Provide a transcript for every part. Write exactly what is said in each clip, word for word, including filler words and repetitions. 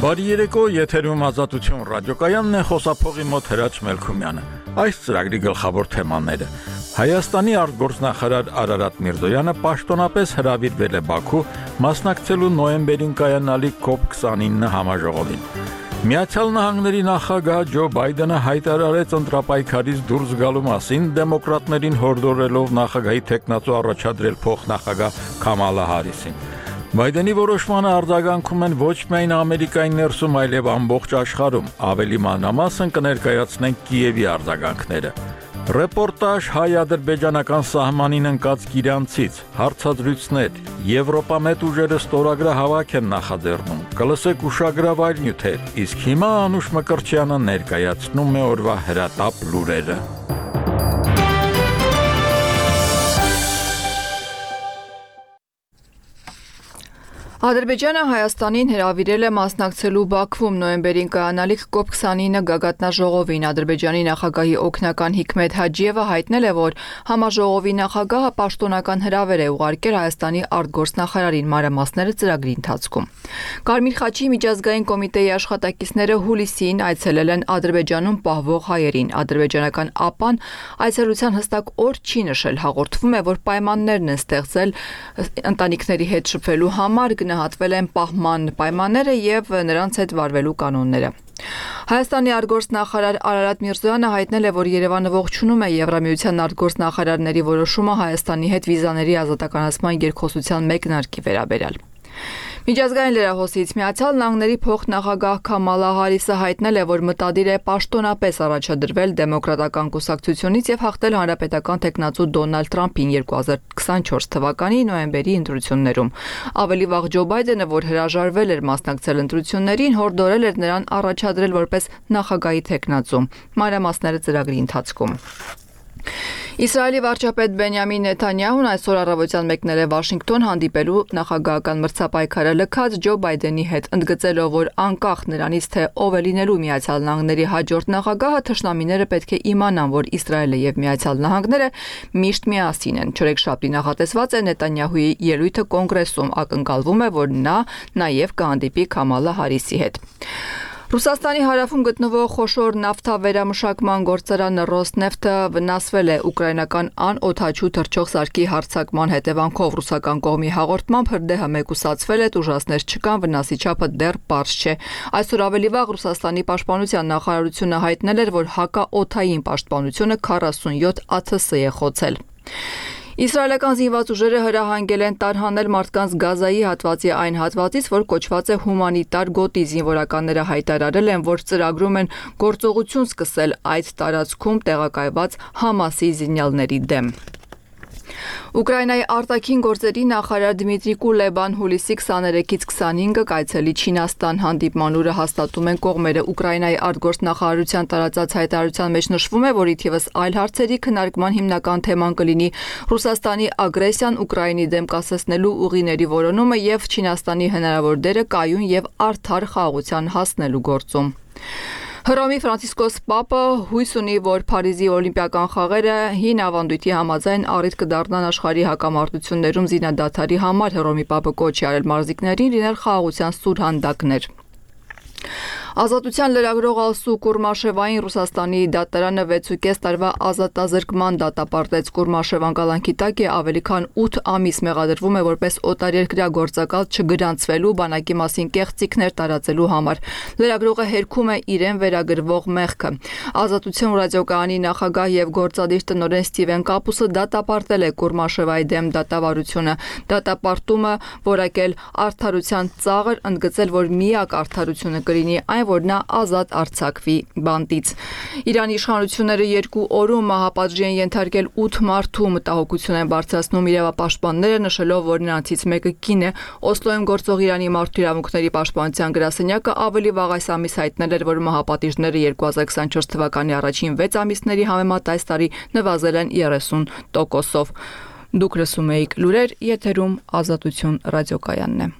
Բարի երեկո, եթերում Ազատություն ռադիոկայանն է, խոսափողի մոտ Հրաչ Մելքումյանը։ Այս ծրագրի գլխավոր թեմաները. Հայաստանի արտգործնախարար Արարատ Միրզոյանը պաշտոնապես հրավիրվել է Բաքու մասնակցելու նոյեմբերին կայանալիք կոպ քսանինը համաժողովին։ Միացյալ Նահանգների նախագահ Ջո Բայդենը հայտարարեց ընտրապայքարից դուրս գալու մասին, դեմոկրատներին հորդորելով նախագահի թեկնածու առաջադրել փոխնախագահ Քամալա Հարիսին։ Բայդենի որոշմանը արձագանքում են ոչ միայն Ամերիկայի ներսում, այլև ամբողջ աշխարհում։ Ավելի մանրամասն կներկայացնենք Կիևի արձագանքները։ Ռեպորտաժ հայ-ադրբեջանական սահմանին ընկած Կիրանցից, հարցազրույցներ, Եվրոպամետ ուժերը ստորագրահավաք են նախաձեռնում, կլսեք ուշագրավայր նյութեր, իսկ հիմա Անուշ Մկրտչյանը ներկայացնում է օրվա հրատապ լուրերը։ Ադրբեջանը Հայաստանին հրավիրել է մասնակցելու Բաքվում նոյեմբերին կայանալիք կոպ քսանինը գագաթնաժողովին։ Ադրբեջանի նախագահի օգնական Հիկմետ Հաջիևը հայտնել է, որ համաժողովի նախագահը պաշտոնական հրավեր է ուղարկել Հայաստանի արտգործնախարարին, մանրամասները ծրագրի ընթացքում։ Կարմիր խաչի միջազգային կոմիտեի աշխատակիցները հուլիսին այցելել են Ադրբեջանում պահվող հայերին։ Ադրբեջանական ԱՊԱ-ն այցելության հստակ օր չի նշել, հաղորդվում է, որ պայմաններն են ստեղծել ընտանիքների հետ շփվելու համար, գնահատվել են պահման պայմանները եւ նրանց հետ վարվելու կանոնները։ Հայաստանի արտգործնախարար Արարատ Միրզոյանը հայտնել է, որ Երևանը ողջունում է Եվրամիության արտգործնախարարների որոշումը Հայաստանի հետ վիզաների ազատականացման երկխոսության մեկնարկի վերաբերյալ։ Միջազգային լրահոսից Միացյալ Նահանգների փոխնախագահ Քամալա Հարիսը հայտնել է, որ մտադիր է պաշտոնապես առաջադրվել դեմոկրատական կուսակցությունից եւ հաղթել հանրապետական թեկնածու Դոնալդ Թրամփին երկու հազար քսանչորս թվականի նոյեմբերի ընտրություններում։ Ավելի վաղ Ջո Բայդենը, որ հրաժարվել էր մասնակցել ընտրություններին, հորդորել էր նրան առաջադրել որպես նախագահի թեկնածու։ Մանրամասները ծրագրի ընթացքում։ Իսրայելի վարչապետ Բենյամին Նեթանյահուն այսօր առավոտյան մեկնել է Վաշինգտոն հանդիպելու նախագահական մրցապայքարը լքած Ջո Բայդենի հետ, ընդգծելով, որ անկախ նրանից, թե ով է լինելու Միացյալ Նահանգների հաջորդ նախագահը, թշնամիները պետք է իմանան, որ Իսրայելը եւ Միացյալ Նահանգները միշտ միասին են։ Չորեքշաբթի նախատեսված է Նեթանյահուի ելույթը կոնգրեսում, ակնկալվում է, որ նա նաև կհանդիպի Քամալա Հարիսի հետ։ Ռուսաստանի հարավում գտնվող խոշոր նավթավերամշակման գործարանը Ռոսնեֆտը վնասվել է ուկրաինական անօդաչու թռչող սարքի հարձակման հետևանքով։ Ռուսական կողմի հաղորդմամբ հրդեհը մեկուսացվել է, տուժածներ չկան, վնասի չափը դեռ պարզ չէ։ Այսօր ավելի վաղ Ռուսաստանի պաշտպանության նախարարությունը հայտնել էր, որ հակաօդային պաշտպանությունը քառասունյոթ ԱԹՍ է խոցել։ Իսրայելական զինված ուժերը հրահանգել են տարհանել մարդկանց Գազայի հատվածի այն հատվածից, որ կոչված է հումանիտար գոտի։ Զինվորականները հայտարարել են, որ ծրագրում են գործողություն սկսել այդ տարածքում տեղակայված Համասի զինյալների դեմ։ Ուկրաինայի արտաքին գործերի նախարար Դմիտրի Կուլեբան հուլիսի քսաներեքից քսանհինգը կայցելի Չինաստան հանդիպման օրը հաստատում են կողմերը։ Ուկրաինայի արտգործնախարարության տարածած հայտարարության մեջ նշվում է, որ իթիվս այլ հարցերի քննարկման հիմնական թեման կլինի Ռուսաստանի ագրեսիան Ուկրաինի դեմ կասեցնելու ուղիների որոնումը եւ Չինաստանի հնարավոր դերը կայուն եւ արդար խաղաղության հասնելու գործում։ Հռոմի Ֆրանցիսկոս Պապը հույս ունի, որ Փարիզի օլիմպիական խաղերը հին ավանդույթի համաձայն առիթ կդառնան աշխարհի հակամարտություններում զինադադարի համար։ Հռոմի Պապը կոչ է արել մարզիկներին լինել խաղաղության սուր հանդակներ։ Ազատության լրագրող Ալսու Կուրմաշևային Ռուսաստանի դատարանը վեցուկես տարվա ազատազրկման դատապարտեց։ Կուրմաշևան կալանքի տակ է, ավելի քան ութ ամիս մեղադրվում է որպես օտարերկրյա գործակալ չգրանցվելու, բանակի մասին կեղծիքներ տարածելու համար։ Լրագրողը հերքում է իրեն վերագրվող մեղքը։ Ազատություն ռադիոկայանի նախագահ եւ գործադիր տնօրեն Ստիվեն Կապուսը դատապարտել է Կուրմաշևայի դեմ դատավարությունը։ Դատապարտումը որակել արդարության ծաղր, ընդգծել, որ միակ արդարությունը կլինի այն, որ նա ազատ արձակվի բանտից։ Իրանի իշխանությունները երկու օրում մահապատժի են ենթարկել ութ մարդու, մտահոգություն են բարձրացնում իրավապաշտպանները, նշելով, որ նրանցից մեկը կին է։ Օսլոյում գործող Իրանի մարդու իրավունքների պաշտպանության գրասենյակը ավելի վաղ այս ամիս հայտնել էր, որ մահապատիժները երկու հազար քսանչորս թվականի առաջին վեց ամիսների համեմատ այս տարի նվազել են երեսուն տոկոսով։ Դուք լսում եք լուրեր, եթերում Ազատություն ռադիոկայանն է։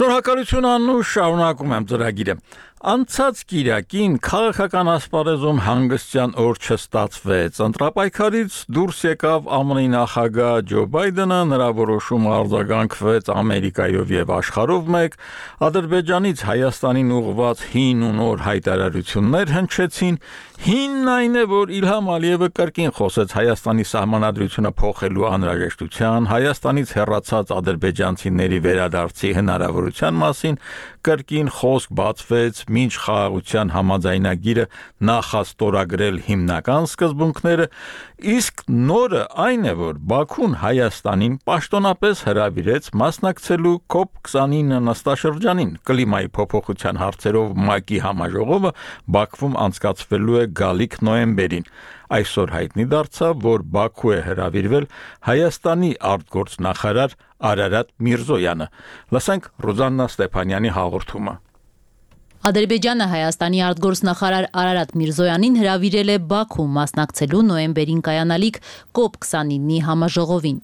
Շնորհակալություն Անուշ, շարունակում եմ ծրագիրը։ Անցած կիրակին քաղաքական ասպարեզում հանգստյան օր չստացվեց։ Ընտրապայքարից դուրս եկավ ԱՄՆ-ի նախագահ Ջո Բայդենը, նրա որոշումը արձագանքվեց Ամերիկայով եւ աշխարհով մեկ, Ադրբեջանից Հայաստանին ուղղված հին ու նոր հայտարարություններ հնչեցին։ Հինն այն է, որ Իլհամ Ալիևը կրկին խոսեց Հայաստանի սահմանադրությունը փոխելու անհրաժեշտության, Հայաստանից հեռացած ադրբեջանցիների վերադարձի հնարավորության մասին, կրկին խոսք բացվեց մինչ խաղաղության համաձայնագիրը նախաստորագրել հիմնական սկզբունքները, իսկ նորը այն է, որ Բաքուն Հայաստանին պաշտոնապես հրավիրեց մասնակցելու կոպ քսանինը նստաշրջանին։ Կլիմայի փոփոխության հարցերով ՄԱԿ-ի համաժողովը Բաքվում անցկացվելու է գալիք նոյեմբերին։ Այսօր հայտնի դարձավ, որ Բաքու է հրավիրվել Հայաստանի արտգործնախարար Արարատ Միրզոյանը։ Լսենք Ռոզաննա Ստեփանյանի հաղորդումը։ Ադրբեջանը Հայաստանի արտգործնախարար Արարատ Միրզոյանին հրավիրել է Բաքու մասնակցելու նոյեմբերին կայանալիք կոպ քսանինի համաժողովին։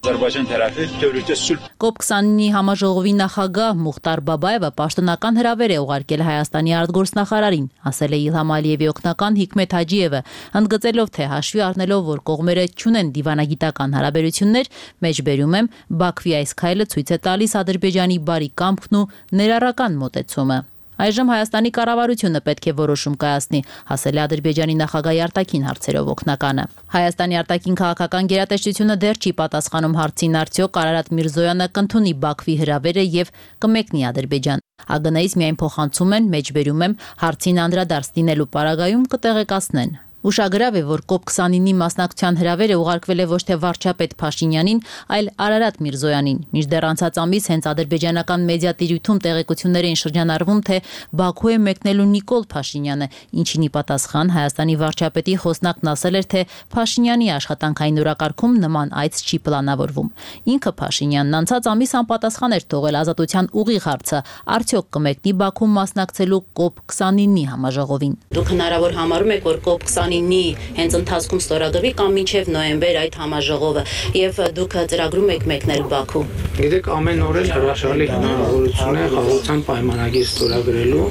կոպ քսանինի համաժողովի նախագահ Մուխտար Բաբաևը պաշտոնական հրավեր է ուղարկել Հայաստանի արտգործնախարարին, ասել է Իլհամ Ալիևի օգնական Հիկմեթ Հաջիևը, ընդգծելով, թե հաշվի առնելով, որ կողմերը չունեն դիվանագիտական հարաբերություններ, մեջբերում եմ, Բաքվի այս քայլը ցույց է տալիս Ադրբեջանի բարի կամքն ու ներառական մոտեցումը։ Այժմ Հայաստանի կառավարությունը պետք է որոշում կայացնի, ասել է Ադրբեջանի նախագահի արտաքին հարցերով օգնականը։ Հայաստանի արտաքին քաղաքական գերատեսչությունը դեռ չի պատասխանում հարցին, արդյոք Արարատ Միրզոյանը կընդունի Բաքվի հրավերը եւ կմեկնի Ադրբեջան։ ԱԳՆ-ից միայն փոխանցում են, մեջբերում եմ, հարցին անդրադարձ լինելու պարագայում կտեղեկացնեն։ Ուշագրավ է, որ կոպ քսանինի մասնակցության հրավերը ուղարկվել է ոչ թե վարչապետ Փաշինյանին, այլ Արարատ Միրզոյանին։ Մինչդեռ անցած ամիս հենց ադրբեջանական մեդիատիրույթում տեղեկություններ էին շրջանառվում, թե Բաքու է մեկնելու Նիկոլ Փաշինյանը, ինչին ի պատասխան Հայաստանի վարչապետի խոսնակն ասել էր, թե Փաշինյանի աշխատանքային օրակարգում նման այց չի պլանավորվում։ Ինքը Փաշինյանն անցած ամիս անպատասխան էր թողել ազատության ուղիղ հարցը, արդյոք կմեկնի Բաքու մասնակցելու կոպ քսանինի համաժողովին։ Դուք հնարավոր համարում եք, որ կոպ քսանինի հենց ընթացքում ստորագրվի կամ մինչև նոյեմբեր այդ համաժողովը եւ դուք ծրագրում եք մեկնել Բաքու։ Գիտեք, ամեն օր էլ հրաշալի հնարավորություն է խաղաղության պայմանագիր ստորագրելու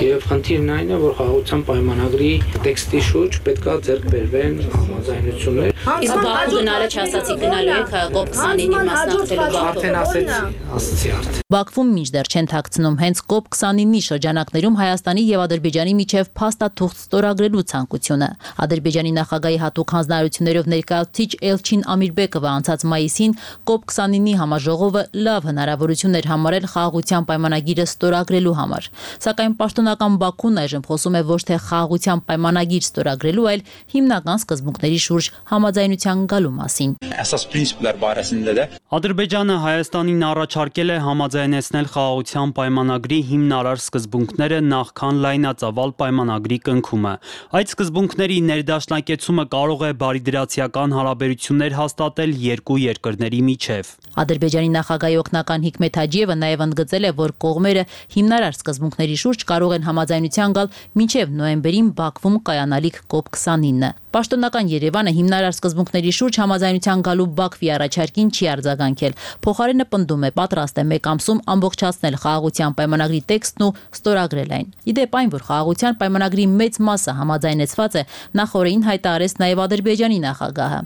եւ խնդիրն այն է, որ խաղաղության պայմանագրի տեքստի շուրջ պետքա ձեռք բերվեն համաձայնություններ։ Իսկ Բաքու գնալը չասացի գնալու եք կոպ քսանինի մասնակցելու Բաքու։ Արդեն ասեցի, ասացի արդեն։ Բաքվում մինչդեռ չեն թաքցնում հենց կոպ քսանինի շրջանակներում Հայաստանի եւ Ադրբեջանի միջև փաստաթուղթ ստորագրելու ցանկությունը։ Ադրբեջանի նախագահի հատուկ հանձնարարություններով ներկայացուցիչ Էլչին Ամիրբեկովը անցած մայիսին կոպ քսանինի համաժողովը լավ հնարավորություն էր համարել խաղաղության պայմանագիրը ստորագրելու համար։ Սակայն պաշտոնական Բաքուն այժմ խոսում է ոչ թե խաղաղության պայմանագիր ստորագրելու, այլ հիմնական սկզբունքների շուրջ համաձայնության գալու մասին։ Ադրբեջանը Հայաստանին առաջարկել է համաձայնեցնել խաղաղության պայմանագրի հիմնարար սկզբունքները նախքան լայնածավալ պայմանագրի կնքումը։ Այդ սկզբունքների ներդաշնակեցումը կարող է բարիդրացիական հարաբերություններ հաստատել երկու երկրների միջև։ Ադրբեջանի նախագահի օգնական Հիկմեթ Հաջիևը նաև ընդգծել է, որ կողմերը հիմնարար սկզբունքների շուրջ կարող են համաձայնության գալ մինչև նոյեմբերին Բաքվում կայանալիք կոպ քսանինը։ Պաշտոնական Երևանը հիմնարար սկզբունքների շուրջ համաձայնության գալու Բաքվի առաջարկին չի արձագանքել։ Փոխարենը պնդում է, պատրաստ է մեկ ամսում ամբողջացնել խաղաղության պայմանագրի տեքստն ու ստորագրել այն։ Իդեպ այն, որ խաղաղության պայմանագրի մեծ մասը համաձայնեցված է, նախորդին հայտարարեց նաև Ադրբեջանի նախագահը։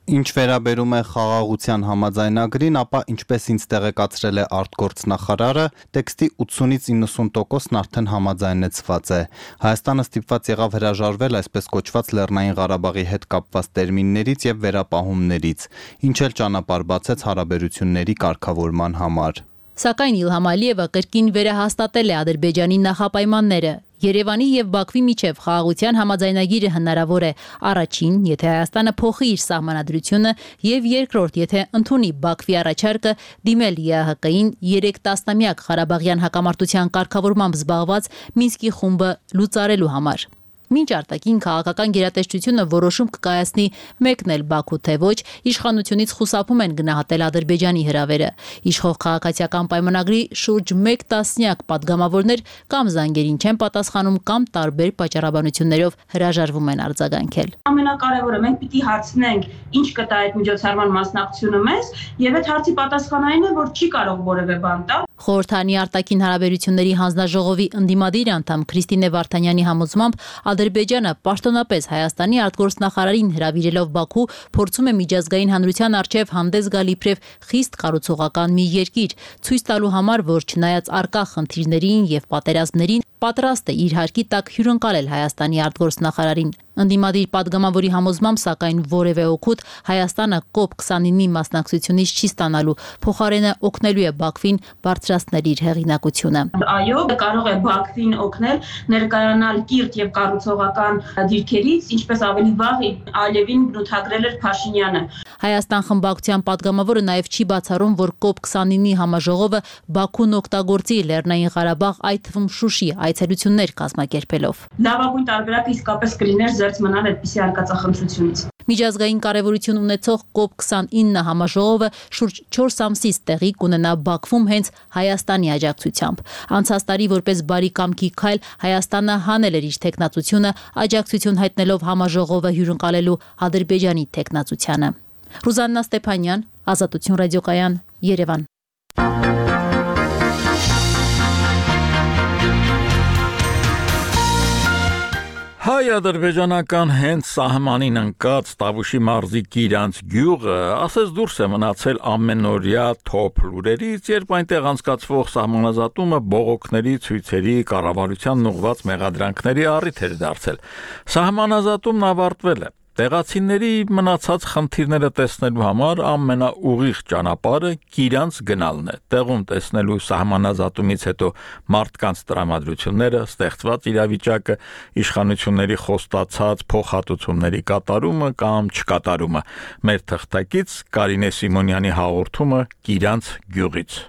Ինչ վերաբերում է խաղաղության համաձայնագրին, ապա ինչպես ինձ տեղեկացրել է արտգործնախարարը, տեքստի ութսունից իննսուն տոկոսն արդեն համաձայնեցված է։ Հայաստանը ստիպված եղավ հրաժարվել այսպես կոչված Լեռնային Ղարաբաղի հետ կապված տերմիններից եւ վերապահումներից, ինչ էլ ճանապարհ բացեց հարաբերությունների կարգավորման համար։ Սակայն Իլհամ Ալիևը կրկին վերահաստատել է Ադրբեջանի նախապայմանները։ Երևանի եւ Բաքվի միջև խաղաղության համաձայնագիրը հնարավոր է առաջին, եթե Հայաստանը փոխի իր սահմանադրությունը, եւ երկրորդ, եթե ընդունի Բաքվի առաջարկը դիմել ԵԱՀԿ-ին երեք տասնամյակ Ղարաբաղյան հակամարտության կարգավորմամբ զբաղված Մինսկի խումբը լուծարելու համար։ Մինչ արտաքին քաղաքական գերատեսչությունը որոշում կկայացնի մեկնել Բաքու թե ոչ, իշխանությունից խուսափում են գնահատել Ադրբեջանի հրավերը։ Իշխող քաղաքացիական պայմանագրի շուրջ մեկ տասնյակ պատգամավորներ կամ զանգերին չեն պատասխանում, կամ տարբեր պատճառաբանություններով հրաժարվում են արձագանքել։ Ամենակարևորը մենք պիտի հարցնենք, ինչ կտա այդ միջոցառման մասնակցությունը մեզ, եւ այդ հարցի պատասխանային է, որ չի կարող որևէ բան տալ։ Խորհրդանի արտաքին հարաբերությունների հանձնաժողովի ընդդիմադիր անդամ Քրիստինե Վարդանյանի համոզմամբ Ադրբեջանը պաշտոնապես Հայաստանի արտգործնախարարին հրավիրելով Բաքու փորձում է միջազգային հանրության առջև հանդես գալ իբրև խիստ կառուցողական մի երկիր, ցույց տալու համար, որ չնայած առկա խնդիրներին եւ պատերազմներին պատրաստ է իր հարկի տակ հյուրընկալել Հայաստանի արտգործնախարարին։ Ընդդիմադիր падգամավորի համոզմամբ, սակայն որևէ օգուտ Հայաստանը կոպ քսանինի մասնակցությունից չի ստանալու, փոխարենը օգնելու է Բաքվին բարձրացնել իր հեղինակությունը։ Այո, կարող է Բաքվին օգնել ներկայանալ կիրթ եւ կառուցողական դիրքերից, ինչպես ավելի վաղ Ալիևին բնութագրել էր Փաշինյանը։ Հայաստան խմբակցության падգամավորը նաև չի բացառում, որ կոպ քսանինի համաժողովը Բաքուն օգտագործի Լեռնային Ղարաբաղ, այդ թվում Շուշի այցելություններ կազմակերպելով։ Լավագույն տարբերակը իսկապես կլիներ զերծ մնալ այդպիսի արկածախնդրությունից։ Միջազգային կարևորություն ունեցող կոպ քսանինը համաժողովը շուրջ չորս ամսից տեղի կունենա Բաքվում հենց Հայաստանի աջակցությամբ։ Անցած տարի որպես բարի կամքի քայլ Հայաստանը հանել էր իր թեկնածությունը, աջակցություն հայտնելով համաժողովը հյուրընկալելու Ադրբեջանի թեկնածությանը։ Ռուզաննա Ստեփանյան, Ազատություն ռադիոկայան, Երևան։ Հայ-ադրբեջանական հենց սահմանին ընկած Տավուշի մարզի Կիրանց գյուղը ասես դուրս է մնացել ամենօրյա թոփ լուրերից, երբ այնտեղ անցկացվող սահմանազատումը բողոքների, ցույցերի, կառավարությանն ուղղված մեղադրանքների առիթ էր դարձել։ Սահմանազատումն ավարտվել է։ Տեղացիների մնացած խնդիրները տեսնելու համար ամենաուղիղ ճանապարհը Կիրանց գնալն է։ Տեղում տեսնելու սահմանազատումից հետո մարդկանց տրամադրությունները, ստեղծված իրավիճակը, իշխանությունների խոստացած փոխհատուցումների կատարումը կամ չկատարումը։ Մեր թղթակից Կարինե Սիմոնյանի հաղորդումը Կիրանց գյուղից։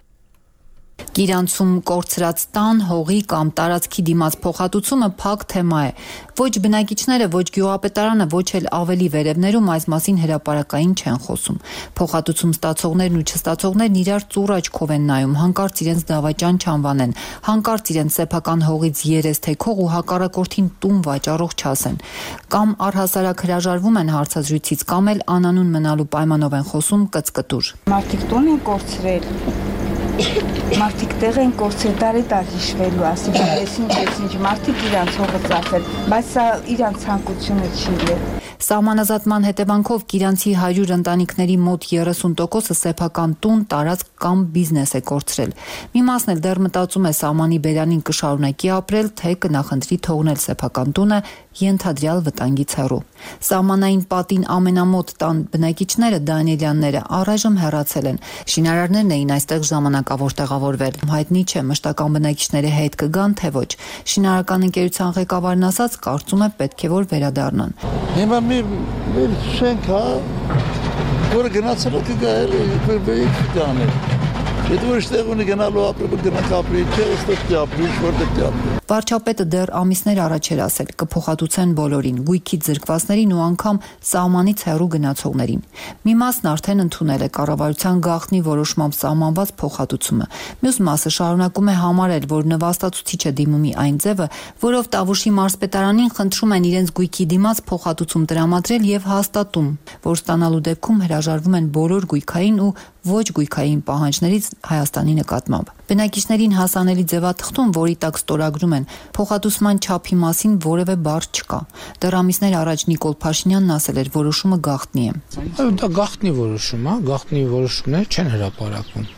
Կիրանցում կորցրած տան, հողի կամ տարածքի դիմաց փոխհատուցումը փակ թեմա է։ Ոչ բնակիչները, ոչ գյուղապետարանը, ոչ էլ ավելի վերևներում այս մասին հրապարակային չեն խոսում։ Փոխհատուցում ստացողներն ու չստացողներն իրար ծուռ աչքով են նայում, հանկարծ իրենց դավաճան չանվանեն, հանկարծ իրենց սեփական հողից երես թեքող ու հակառակորդին տուն վաճառող չասեն։ Կամ առհասարակ հրաժարվում են հարցազրույցից, կամ էլ անանուն մնալու պայմանով են խոսում կծկտուր։ Մարդիկ տուն են կորցրել։ Մարդիկ տեղ են կորցրել, տարի-տար հիշվելու, ասիկան, ես ինչ, ես ինչ, մարդիկ իրանց հողը ծախել, բայց սա իրանց ցանկությունը չի ել։ Սահմանազատման հետևանքով Կիրանցի հարյուր ընտանիքների մոտ երեսուն տոկոսը սեփական տուն, տարածք կամ բիզնես է կորցրել։ Մի մասն էլ դեռ մտածում է սահմանի բերանին կշարունակի ապրել, թե կնախընտրի թողնել սեփական տունը ենթադրյալ վտանգից հեռու։ Սահմանային պատին ամենամոտ տան բնակիչները Դանիելյանները առայժմ հեռացել են։ Շինարարներն էին այստեղ ժամանակավոր տեղավորվել։ Հայտնի չէ մշտական բնակիչների հետ կգան թե ոչ։ Շինարարական ընկերության ղեկավարն ասաց, կարծում է պետք է որ վերադառնան։ Հիմա մի շենք հա, որը գնացել է կգա էլի, բեիք դանել։ Եթե որ շտեղ ունի գնալու ապրել, գնանք ապրի, չէ, ստեղ դիապրի, որտեղ դիապրի։ Վարչապետը դեռ ամիսներ առաջ էր ասել, կփոխհատուցեն բոլորին, գույքի ձրկվածներին ու անգամ սահմանից հեռու գնացողներին։ Մի մասն արդեն ընդունել է կառավարության գաղտնի որոշմամբ սահմանված փոխհատուցումը։ Մյուս մասը շարունակում է համարել, որ նվաստացուցիչ է դիմումի այն ձևը, որով Տավուշի մարզպետարանին խնդրում են իրենց գույքի դիմաց փոխհատուցում տրամադրել եւ հաստատում, որ ստանալու դեպքում հրաժարվում են բոլոր գույքային ու ոչ գույքային պահանջներից Հայաստանի նկատմամբ։ Բնակիչներին հասանելի ձևաթղթում, որի տակ ստորագրում են փոխհատուցման չափի մասին որևէ բառ չկա։ Դեռ ամիսներ առաջ Նիկոլ Փաշինյանն ասել էր, որոշումը գաղտնի է։ Դա գաղտնի որոշում է, գաղտնի որոշումներ չեն հրապարակվում։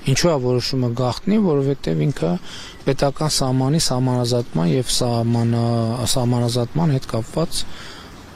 Ինչու է որոշումը գաղտնի, որովհետև ինքը պետական սահմանի սահմանազատման եւ սահմանա սահմանազատման հետ կապված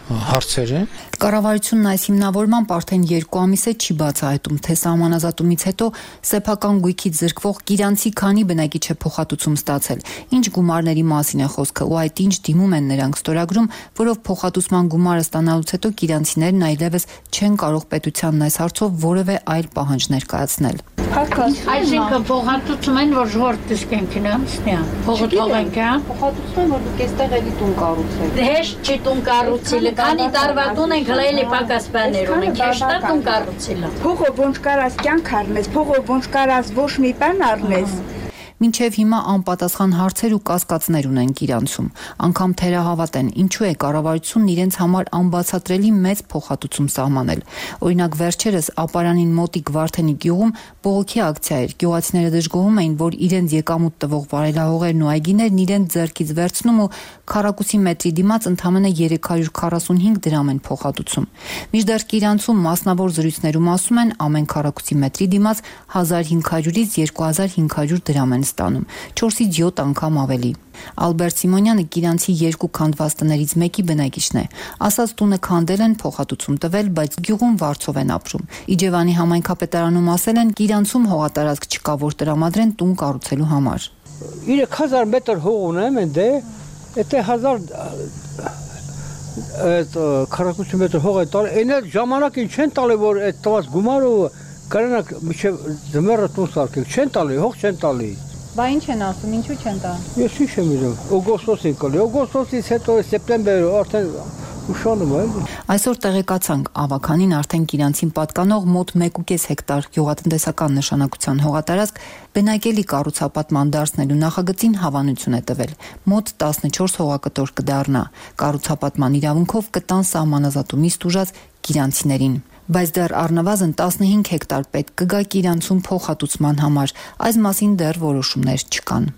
հարցերը։ Կառավարությունն այս հիմնավորմամբ արդեն երկու ամիս է չի բացահայտում, թե սահմանազատումից հետո սեփական գույքից զրկվող Կիրանցի քանի բնակիչ է փոխհատուցում ստացել, ինչ գումարների մասին է խոսքը ու այդ ինչ դիմում են նրանք ստորագրում, որով փոխհատուցման գումարը ստանալուց հետո կիրանցիներն այլևս չեն կարող պետությանն այս հարցով որևէ այլ պահանջ ներկայացնել։ Այսինքն փոխհատուցում են, որ ժողովուրդ դիսկենքին անցնի, փողը թողենք, հա։ Փոխհատուցում են, որ դուք այստեղ էլի տուն կառուցել։ Հեշտ չի տուն կառուցել, քանի տարվա տուն ենք հլայելի պակաս բաներ ունենք, հեշտ է տուն կառուցել։ Փողը ոնց կարաս կյանք առնես, փողը ոնց կարաս ոչ մի բան առնես։ Մինչև հիմա անպատասխան հարցեր ու կասկածներ ունեն Կիրանցում։ Անգամ թերահավատ են, ինչու է կառավարությունն իրենց համար անբացատրելի մեծ փոխհատուցում սահմանել։ Օրինակ վերջերս Ապարանին մոտիկ Վարդենի գյուղում բողոքի ակցիա էր։ Գյուղացիները դժգոհում էին, որ իրենց եկամուտ տվող վարելահողերն ու այգիներն իրենց ձեռքից վերցնում ու քառակուսի մետրի դիմաց ընդամենը երեք հարյուր քառասունհինգ դրամ են փոխհատուցում։ Մինչդեռ Կիրանցում մասնավոր զրույցներում ասում են ամեն քառակուսի մետրի դիմաց հազար հինգ հարյուրից երկու հազար հինգ հարյուր դրամ են ստանում, չորսից յոթ անգամ ավելի։ Ալբերտ Սիմոնյանը Կիրանցի երկու քանդված տներից մեկի բնակիչն է։ Ասած տունը քանդել են, փոխհատուցում տվել, բայց գյուղում վարձով են ապրում։ Իջևանի համայնքապետարանում ասել են Կիրանցում հողատարածք չկա, որ տրամադրեն տուն կառուցելու համար։ երեք հազար մետր հող ունեմ ընդ է, եթե հազար այդ քառակուսի մետր հող է տալ, այն էլ ժամանակին չեն տալի, որ այդ տված գումարը կրանակ մինչև ձմեռը տուն սարքել, չեն տալի, հող չեն տալի։ Բա ինչ են ասում, ինչու չեն տա։ Ես ինչ եմ իրում, օգոստոսին կլի, օգոստոսից հետո սեպտեմբեր արդեն ուշանում է։ Այսօր տեղեկացանք, ավականին արդեն Կիրանցին պատկանող մոտ մեկ ու կես հեկտար գյուղատնտեսական նշանակության հողատարածք բնակելի կառուցապատման դարձնելու նախագծին հավանություն է տվել։ Մոտ տասնչորս հողակտոր կդառնա։ Կառուցապատման իրավունքով կտան սահմանազատումից տուժած կիրանցիներին։ Բայց դեռ առնվազն տասնհինգ հեկտար պետք կգա Կիրանցում փոխհատուցման համար, այս մասին դեռ որոշումներ չկան։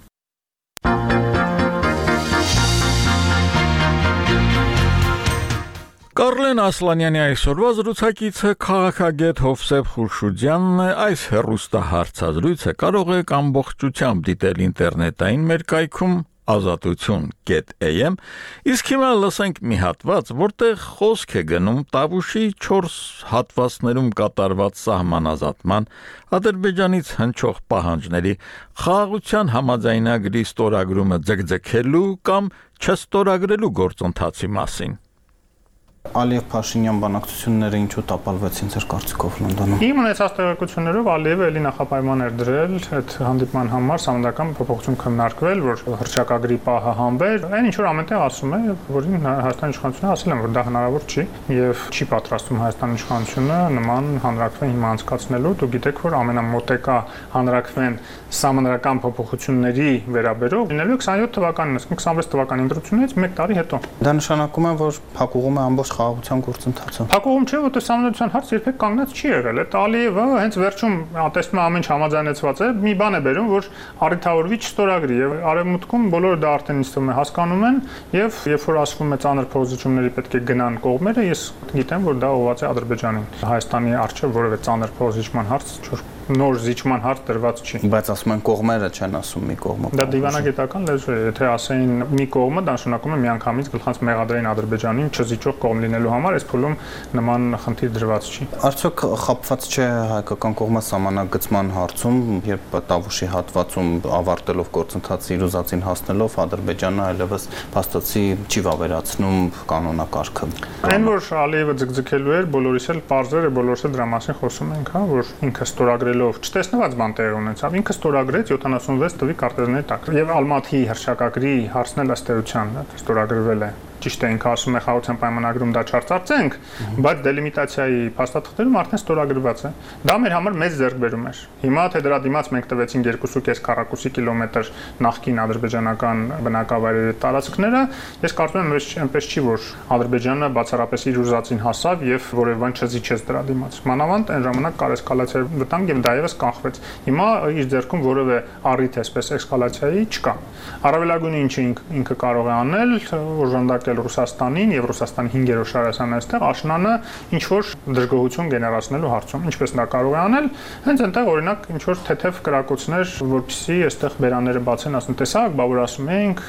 Կարլեն Ասլանյանի այսօրվա զրուցակիցը քաղաքագետ Հովսեփ Խուրշուդյանն է, այս հեռուստահարցազրույցը կարող եք ամբողջությամբ դիտել ինտերնետային մեր կայքում ազատություն կետ էյ էմ, իսկ հիմա լսենք մի հատված, որտեղ խոսք է գնում Տավուշի չորս հատվածներում կատարված սահմանազատման, Ադրբեջանից հնչող պահանջների, խաղաղության համաձայնագրի ստորագրումը ձգձգելու կամ չստորագրելու գործընթացի մասին։ Ալիև-Փաշինյան բանակցությունները ինչու տապալվեցին ձեր կարծիքով Լոնդոնում։ Իմ ունեցած տեղեկություններով Ալիևը էլի նախապայման էր դրել այդ հանդիպման համար սահմանադրական փոփոխություն քննարկվել, որ հռչակագրի պահը հանվեր։ Այն ինչ որ ամենտեղ ասում է, որին Հայաստանի իշխանությունը ասել են, որ դա հնարավոր չի եւ չի պատրաստվում Հայաստանի իշխանությունը նման հանրակրվեն հիմա անցկացնելու։ Դուք գիտեք, որ ամենամոտեկա հանրակրվեն սահմանադրական փոփոխությունների վերաբերող լինելու քսանյոթ թվականին, այսինքն քսանվեց թվականի ընտրությունից մեկ տարի հետո։ Դա նշանակում է, որ փակուղում է ամբողջ խաղաղության գործընթացը։ Փակուղում չէ, որ սահմանադրության հարց երբեք կանգնած չի եղել։ Այդ Ալիևը հենց վերջում տեսնում է ամեն ինչ համաձայնեցված է, մի բան է բերում, որ առիթավորվի չստորագրի եւ արևմուտքում բոլորը դա արդեն ինձ թվում է հասկանում են եւ երբ որ ասվում է ծանր փոխզիջումների պետք է գնան կողմերը, ես գիտեմ, որ դա ուղղված է Ադրբեջանին։ Հայաստանի առջեւ որևէ ծանր փոխզիջման հարց չոր նոր զիջման հարց դրված չի։ Բայց ասում են կողմերը չեն ասում մի կողմը։ Դա դիվանագիտական լեզու է, եթե ասեին մի կողմը, դա նշանակում է միանգամից գլխանց մեղադրային Ադրբեջանին չզիջող կողմ լինելու համար, այս փուլում նման խնդիր դրված չի։ Արդյոք խապված չէ հայկական կողմը սահմանագծման հարցում, երբ Տավուշի հատվածում ավարտելով գործընթացի իր ուզածին հասնելով Ադրբեջանը այլևս փաստացի չի վավերացնում կանոնակարգը։ Այն որ Ալիևը ձգձգելու էր, բոլորիս էլ պարզ էր, բոլորս էլ դրա մասին խոսում ենք, հա, որ ինքը ստորագրելով չտեսնված բան տեղի ունեցավ, ինքը ստորագրեց յոթանասունվեց թվի կարտեզների տակ։ Եվ Ալմաթիի հռչակագրի հարցն էլ ըստ էության ստորագրվել է։ Ճիշտ է, ինքը ասում է խաղաղության պայմանագրում դա չարծարծենք, բայց դելիմիտացիայի փաստաթղթերում արդեն ստորագրված է։ Դա մեր համար մեծ ձեռքբերում էր։ Հիմա թե դրա դիմաց մենք տվեցինք երկու կես քառակուսի կիլոմետր նախկին ադրբեջանական բնակավայրերի տարածքները, ես կարծում եմ այնպես չի, որ Ադրբեջանը բացառապես իր ուզածին հասավ եւ որևէ բան չզիջեց դրա դիմաց։ Մանավանդ այն ժամանակ կար էսկալացիա վտանգ եւ դա եւս կանխվեց։ Հիմա իր ձեռքում որևէ առիթ էսպես էսկալացիայի չկա։ Առավելագույնը ինչը ինքը կարող է անել, օժանդակ նշանակել Ռուսաստանին եւ Ռուսաստանի հինգերորդ շարասան այստեղ աշնանը ինչ որ դժգոհություն գեներացնելու հարցում։ Ինչպես նա կարող է անել, հենց այնտեղ օրինակ ինչ որ թեթև կրակոցներ, որպեսզի այստեղ բերանները բացեն, ասեն, տեսակ, բա որ ասում ենք,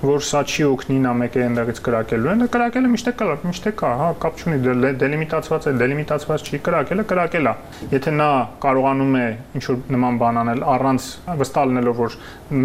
որ սա չի օգնի նա մեկը այնտեղից կրակելու են, կրակելը միշտ կա, միշտ կա, հա, կապ չունի, դելիմիտացված է, դելիմիտացված չի, կրակելը կրակել է։ Եթե նա կարողանում է ինչ որ նման բան անել առանց վստահ լինելով, որ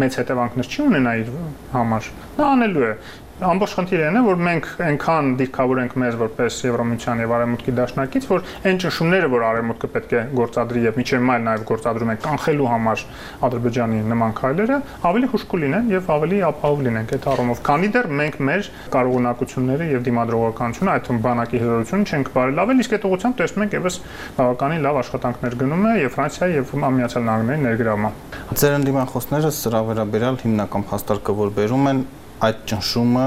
մեծ հետևանքներ չի ունենա իր համար, նա անելու է։ Ամբողջ խնդիրը այն է, որ մենք այնքան դիրքավոր ենք մեզ որպես Եվրամիության եւ Արևմուտքի դաշնակից, որ այն ճնշումները, որ Արևմուտքը պետք է գործադրի եւ միջև մայլ նաեւ գործադրում են կանխելու համար Ադրբեջանի նման քայլերը, ավելի հուշկու լինեն եւ ավելի ապահով լինենք այդ առումով։ Քանի դեռ մենք մեր կարողունակությունները եւ դիմադրողականությունը, այդ թվում բանակի հզորությունը չենք բարելավել, իսկ այդ ուղղությամբ տեսնում ենք եւս բավականին լավ աշխատանքներ գնում է եւ Ֆրանսիայի եւ Միացյալ Նահանգների ներգրավումը։ Ձեր ընդդիմախոսները սրա վերաբերյալ հիմնական փաստարկը որ բերում են այդ ճնշումը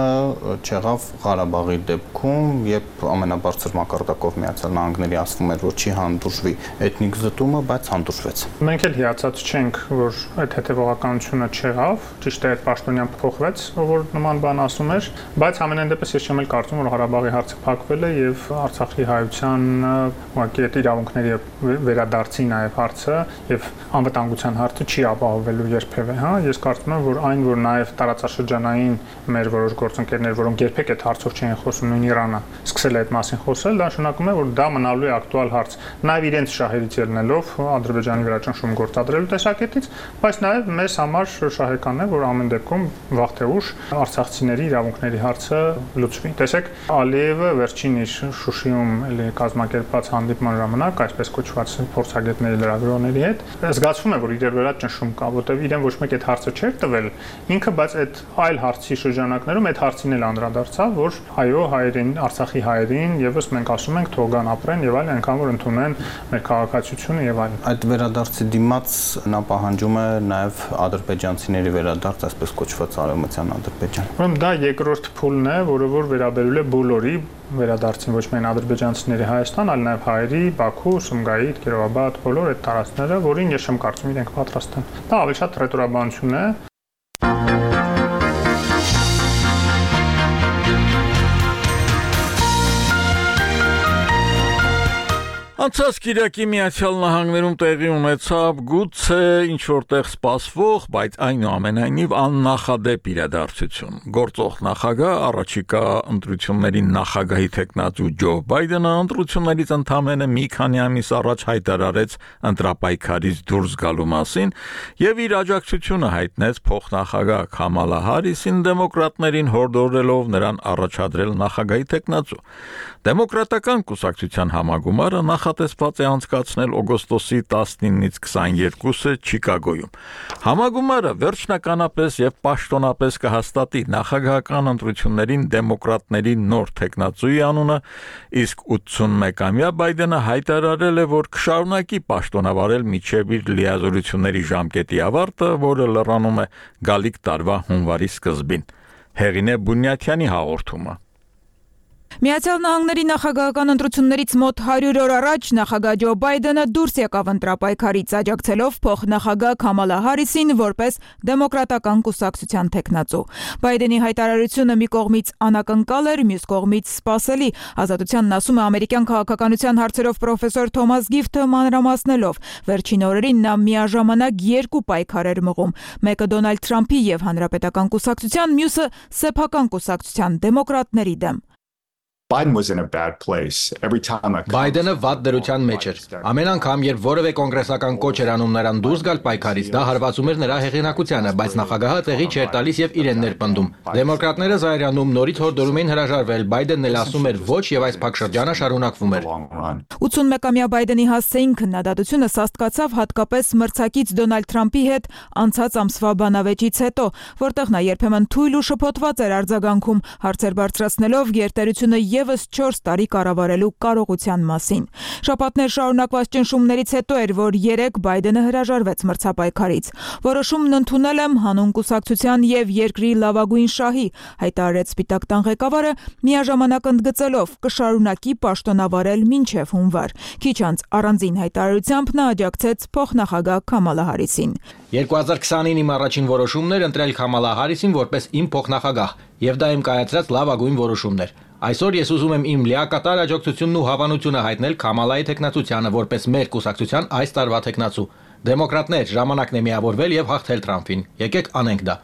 չեղավ Ղարաբաղի դեպքում, երբ ամենաբարձր մակարդակով Միացյալ Նահանգների ասվում էր, որ չի հանդուրժվի էթնիկ զտումը, բայց հանդուրժվեց։ Մենք էլ հիացած չենք, որ այդ հետևողականությունը չեղավ, ճիշտ է, այդ պաշտոնյան փոխվեց, որ նման բան ասում էր, բայց ամենայն դեպս ես չեմ էլ կարծում, որ Ղարաբաղի հարցը փակվել է եւ Արցախի հայության ուղղակի այդ իրավունքների վերադարձի նաեւ հարցը եւ անվտանգության հարցը չի ապահովելու երբևէ, հա, ես կարծում եմ, որ այն, որ նաեւ տարածաշրջանային մեր որոշ գործընկերներ, որոնք երբեք այդ հարցով չեն խոսում, նույն Իրանը սկսել է այդ մասին խոսել, դա նշանակում է, որ դա մնալու է ակտուալ հարց, նաև իրենց շահերից ելնելով Ադրբեջանի վրա ճնշում գործադրելու տեսակետից, բայց նաև մեզ համար շահեկան է, որ ամեն դեպքում վաղ թե ուշ արցախցիների իրավունքների հարցը լուծվի։ Տեսեք, Ալիևը վերջին իր Շուշիում էլի կազմակերպած հանդիպման ժամանակ, այսպես կոչված փորձագետների լրագրողների հետ, զգացվում է, որ իրեր վրա ճնշում կա, որտեղ իրեն ոչ մեկ այդ հարցը չէր տվել, ինքը բայց այդ այլ հարցի շրջանակներում այդ հարցին էլ անդրադարձավ, որ այո, հայերին, Արցախի հայերին եւս մենք ասում ենք թող գան ապրեն եւ այլն, այնքան որ ընդունեն մեր քաղաքացիությունը եւ այլն։ Այդ վերադարձի դիմաց նա պահանջում է նաեւ ադրբեջանցիների վերադարձ, այսպես կոչված արևմտյան Ադրբեջան։ Ուրեմն դա երկրորդ փուլն է, որը որ վերաբերում է բոլորի վերադարձին, ոչ միայն ադրբեջանցիների Հայաստան, այլ նաեւ հայերի Բաքու, Սումգայիթ, Կիրովաբադ, բոլոր այդ տարածքները, որին ես չեմ կարծում իրենք պատրաստ են։ Դա ավելի շատ ռետորաբանություն է։ Անցած կիրակի Միացյալ Նահանգներում տեղի ունեցավ գուցե ինչ որտեղ սպասվող, բայց այնուամենայնիվ աննախադեպ իրադարձություն։ Գործող նախագահ, առաջիկա ընտրությունների նախագահի թեկնածու Ջո Բայդենը ընտրություններից ընդամենը մի քանի ամիս առաջ հայտարարեց ընտրապայքարից դուրս գալու մասին եւ իր աջակցությունը հայտնեց փոխնախագահ Քամալա Հարիսին դեմոկրատներին հորդորելով նրան առաջադրել նախագահի թեկնածու։ Դեմոկրատական կուսակցության համագումարը նախատեսված է անցկացնել օգոստոսի տասնինից քսաներկուսը Չիկագոյում։ Համագումարը վերջնականապես եւ պաշտոնապես կհաստատի նախագահական ընտրություններին դեմոկրատների նոր թեկնածուի անունը, իսկ ութսունմեկամյա Բայդենը հայտարարել է, որ կշարունակի պաշտոնավարել մինչեւ իր լիազորությունների ժամկետի ավարտը, որը լրանում է գալիք տարվա հունվարի սկզբին։ Հեղինե Բունյաթյանի հաղորդումը։ Միացյալ Նահանգների նախագահական ընտրություններից մոտ հարյուր օր առաջ նախագահ Ջո Բայդենը դուրս եկավ ընտրապայքարից, աջակցելով փոխնախագահ Քամալա Հարիսին որպես դեմոկրատական կուսակցության թեկնածու։ Բայդենի հայտարարությունը մի կողմից անակնկալ էր, մյուս կողմից սպասելի։ Ազատությանն ասում է ամերիկյան քաղաքականության հարցերով պրոֆեսոր Թոմաս Գիֆթը մանրամասնելով։ Վերջին օրերին նա միաժամանակ երկու պայքար էր մղում՝ մեկը Դոնալդ Թրամփի եւ Հանրապետական կուսակցության, մյուսը սեփական կուսակցության դեմոկրատների դեմ։ Biden was in a bad place. Every time a Բայդենը վատ դրության մեջ էր։ Ամեն անգամ, երբ որևէ կոնգրեսական կոչ էր անում նրան դուրս գալ պայքարից, դա հարվածում էր նրա հեղինակությանը, բայց նախագահը տեղի չէր տալիս եւ իրեն ներպնդում։ Դեմոկրատները զայրանում նորից հորդորում էին հրաժարվել, Բայդենն էլ ասում էր ոչ եւ այս փակշրջանը շարունակվում էր։ ութսունմեկամյա Բայդենի հասցեին քննադատությունը սաստկացավ հատկապես մրցակից Դոնալդ Թրամփի հետ անցած ամսվա բանավեճից հետո, որտեղ նա երբեմն թույլ ու շփոթված էր արձագանքում, հարցեր բարձրացնելով գերտերությունը եւս չորս տարի կառավարելու կարողության մասին։ Շաբաթներ շարունակված ճնշումներից հետո էր, որ երեկ Բայդենը հրաժարվեց մրցապայքարից։ Որոշումն ընդունել եմ հանուն կուսակցության եւ երկրի լավագույն շահի, հայտարարեց Սպիտակ տան ղեկավարը, միաժամանակ ընդգծելով կշարունակի պաշտոնավարել մինչև հունվար։ Քիչ անց առանձին հայտարարությամբ նա աջակցեց փոխնախագահ Քամալա Հարիսին։ երկու հազար քսանինը իմ առաջին որոշումն էր ընտրել Քամալա Հարիսին որպես իմ փոխնախագահ, եւ դա իմ կայացրած լավագույն որոշումն էր։ Այսօր ես ուզում եմ իմ լիակատար աջակցությունն ու հավանությունը հայտնել Քամալայի տեխնացությանը որպես մեր կուսակցության այս տարվա տեխնացու։ Դեմոկրատներ, ժամանակն է միավորվել եւ հաղթել Թրամփին։ Եկեք անենք դա։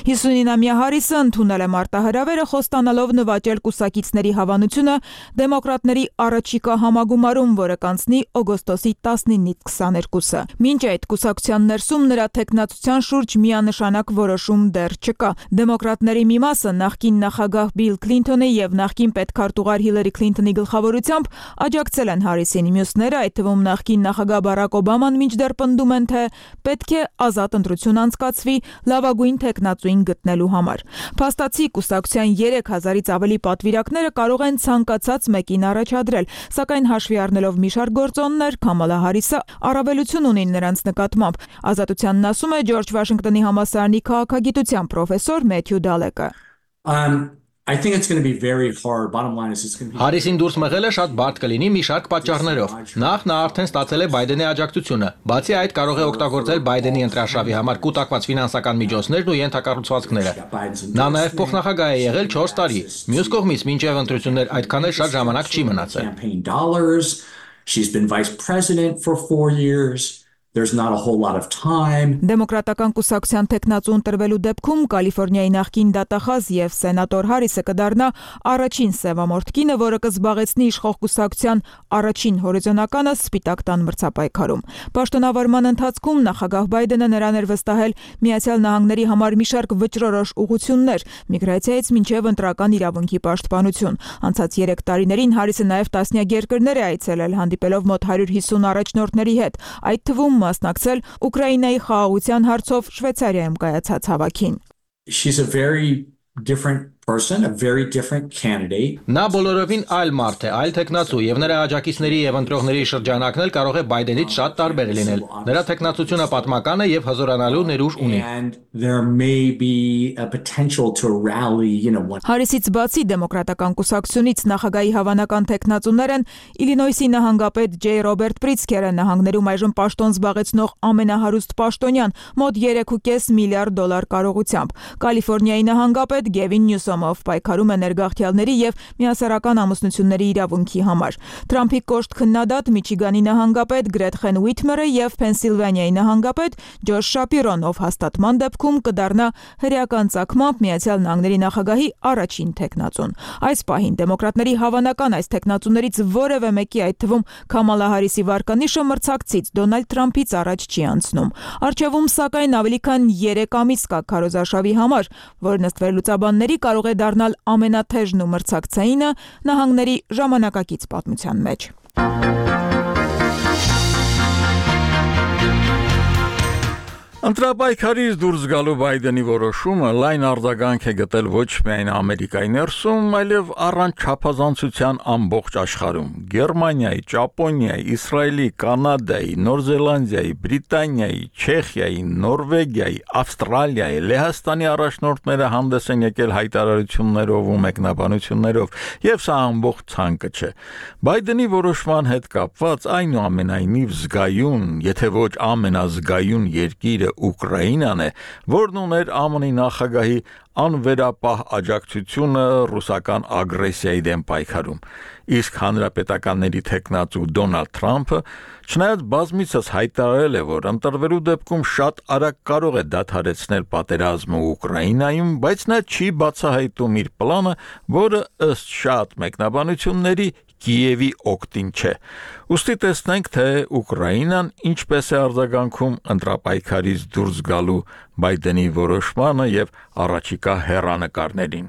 հիսունինամյա Հարիսը ընդունել է մարտահրավերը խոստանալով նվաճել կուսակիցների հավանությունը դեմոկրատների առաջիկա համագումարում, որը կանցնի օգոստոսի տասնինից քսաներկուսը։ Մինչ այդ կուսակցության ներսում նրա տեխնացության շուրջ միանշանակ որոշում դեռ չկա։ Դեմոկրատների մի մասը նախկին նախագահ Բիլ Քլինթոնի եւ նախկին պետքարտուղար Հիլարի Քլինթոնի գլխավորությամբ աջակցել են Հարիսին։ Մյուսները, այդ թվում նախկին նախագահ Բարակ Օբաման մինչդեռ պնդում են, թե պետք է ազատ ընտրություն անցկացվի լավագույն տեխնացուին գտնելու համար։ Փաստացի կուսակցության երեք հազարից ավելի պատվիրակները կարող են ցանկացած մեկին առաջադրել, սակայն հաշվի առնելով մի շարք գործոններ, Քամալա Հարիսը առավելություն ունի նրանց նկատմամբ։ Ազատությանն ասում է Ջորջ Վաշինգտոնի համալսարանի քաղաքագիտության պրոֆեսոր Մեթյու Դալեկը։ I think it's going to be very hard. Bottom line is it's going to be Հարիսին դուրս մղելը շատ բարդ կլինի մի շարք պատճառներով։ Նախ նա արդեն ստացել է Բայդենի աջակցությունը։ Բացի այդ կարող է օգտագործել Բայդենի ընտրաշավի համար կուտակված ֆինանսական միջոցներն ու ենթակառուցվածքները։ Նա նաև փոխնախագահ է եղել չորս տարի։ Մյուս կողմից մինչև ընտրություններ այդքան էլ շատ ժամանակ չի մնացել։ She's been vice president for four years. There's not a whole lot of time. Դեմոկրատական կուսակցության տեխնացու ընտրվելու դեպքում Կալիֆոռնիայի նախկին դատախազ եւ սենատոր Հարիսը կդառնա առաջին սևամորթ կինը, որը կզբաղեցնի իշխող կուսակցության առաջին հորիզոնականը Սպիտակ տան մրցապայքարում։ Պաշտոնավարման ընթացքում նախագահ Բայդենը նրան էր վստահել Միացյալ Նահանգների համար մի շարք վճռորոշ ուղղություններ, միգրացիայից մինչև ընտրական իրավունքի պաշտպանություն։ Անցած երեք տարիներին Հարիսը նաև տասնյակ երկրներ է այցելել, հանդիպելով մոտ հարյուր հիսուն առաջնորդների հետ, այդ թվում մասնակցել Ուկրաինայի խաղաղության հարցով Շվեյցարիայում կայացած հավաքին։ She's a very different person, a very different candidate. Նա բոլորովին այլ մարդ է, այլ տեխնացու եւ նրա աջակիցների եւ ընտրողների շրջանակն էլ կարող է Բայդենից շատ տարբեր լինել։ Նրա տեխնացությունը պատմական է եւ հզորանալու ներուժ ունի։ And there may be a potential to rally, you know, one. Հարիսից բացի դեմոկրատական կուսակցությունից նախագահի հավանական տեխնացուներ են Իլինոյսի նահանգապետ Ջեյ Ռոբերտ Պրիցքերը, նահանգներում այժմ պաշտոն զբաղեցնող ամենահարուստ պաշտոնյան, մոտ երեք ու կես միլիարդ դոլար կարողությամբ։ Կալիֆոռնիայի նահանգապետ Գևին Նյուսոմով պայքարում է ներգաղթյալների եւ միասեռական ամուսնությունների իրավունքի համար։ Թրամփի կոշտ քննադատ Միչիգանի նահանգապետ Գրետխեն Ուիթմերը եւ Փենսիլվանիայի նահանգապետ Ջոշ Շապիրոն, ով հաստատման դեպքում կդառնա հրեական ծագմամբ Միացյալ Նահանգների նախագահի առաջին տեխնացուն։ Այս պահին դեմոկրատների հավանական այս տեխնացուներից որևէ մեկի, այդ թվում Քամալա Հարիսի վարկանիշը մրցակցից Դոնալդ Թրամփից առաջ չի անցնում։ Արչեվում սակայն ավելի քան երեք ամիս կա քարոզարշավի համար, որն ըստ վերլուծաբանների կարող է դառնալ ամենաթեժն ու մրցակցայինը նահանգների ժամանակակից պատմության մեջ։ Ընտրապայքարից դուրս գալու Բայդենի որոշումը լայն արձագանք է գտել ոչ միայն Ամերիկայի ներսում, այլև առանց չափազանցության ամբողջ աշխարհում։ Գերմանիայի, Ճապոնիայի, Իսրայելի, Կանադայի, Նոր Զելանդիայի, Բրիտանիայի, Չեխիայի, Նորվեգիայի, Ավստրալիայի, Լեհաստանի առաջնորդները հանդես են եկել հայտարարություններով ու մեկնաբանություններով, եւ սա ամբողջ ցանկը չէ։ Բայդենի որոշման հետ կապված այնուամենայնիվ զգայուն, եթե ոչ ամենազգայուն երկիրը Ուկրաինան է, որն ուներ ԱՄՆ-ի նախագահի անվերապահ աջակցությունը ռուսական ագրեսիայի դեմ պայքարում։ Իսկ հանրապետականների տեխնացու Դոնալդ Թրամփը, չնայած բազմիցս հայտարարել է, որ ընտրվելու դեպքում շատ արագ կարող է դադարեցնել պատերազմը Ուկրաինայում, բայց նա չի բացահայտում իր պլանը, որը ըստ շատ մեկնաբանությունների Կիևի օգտին չէ։ Ուստի տեսնենք, թե Ուկրաինան ինչպես է արձագանքում ընտրապայքարից դուրս գալու Բայդենի որոշմանը եւ առաջիկա հեռանկարներին։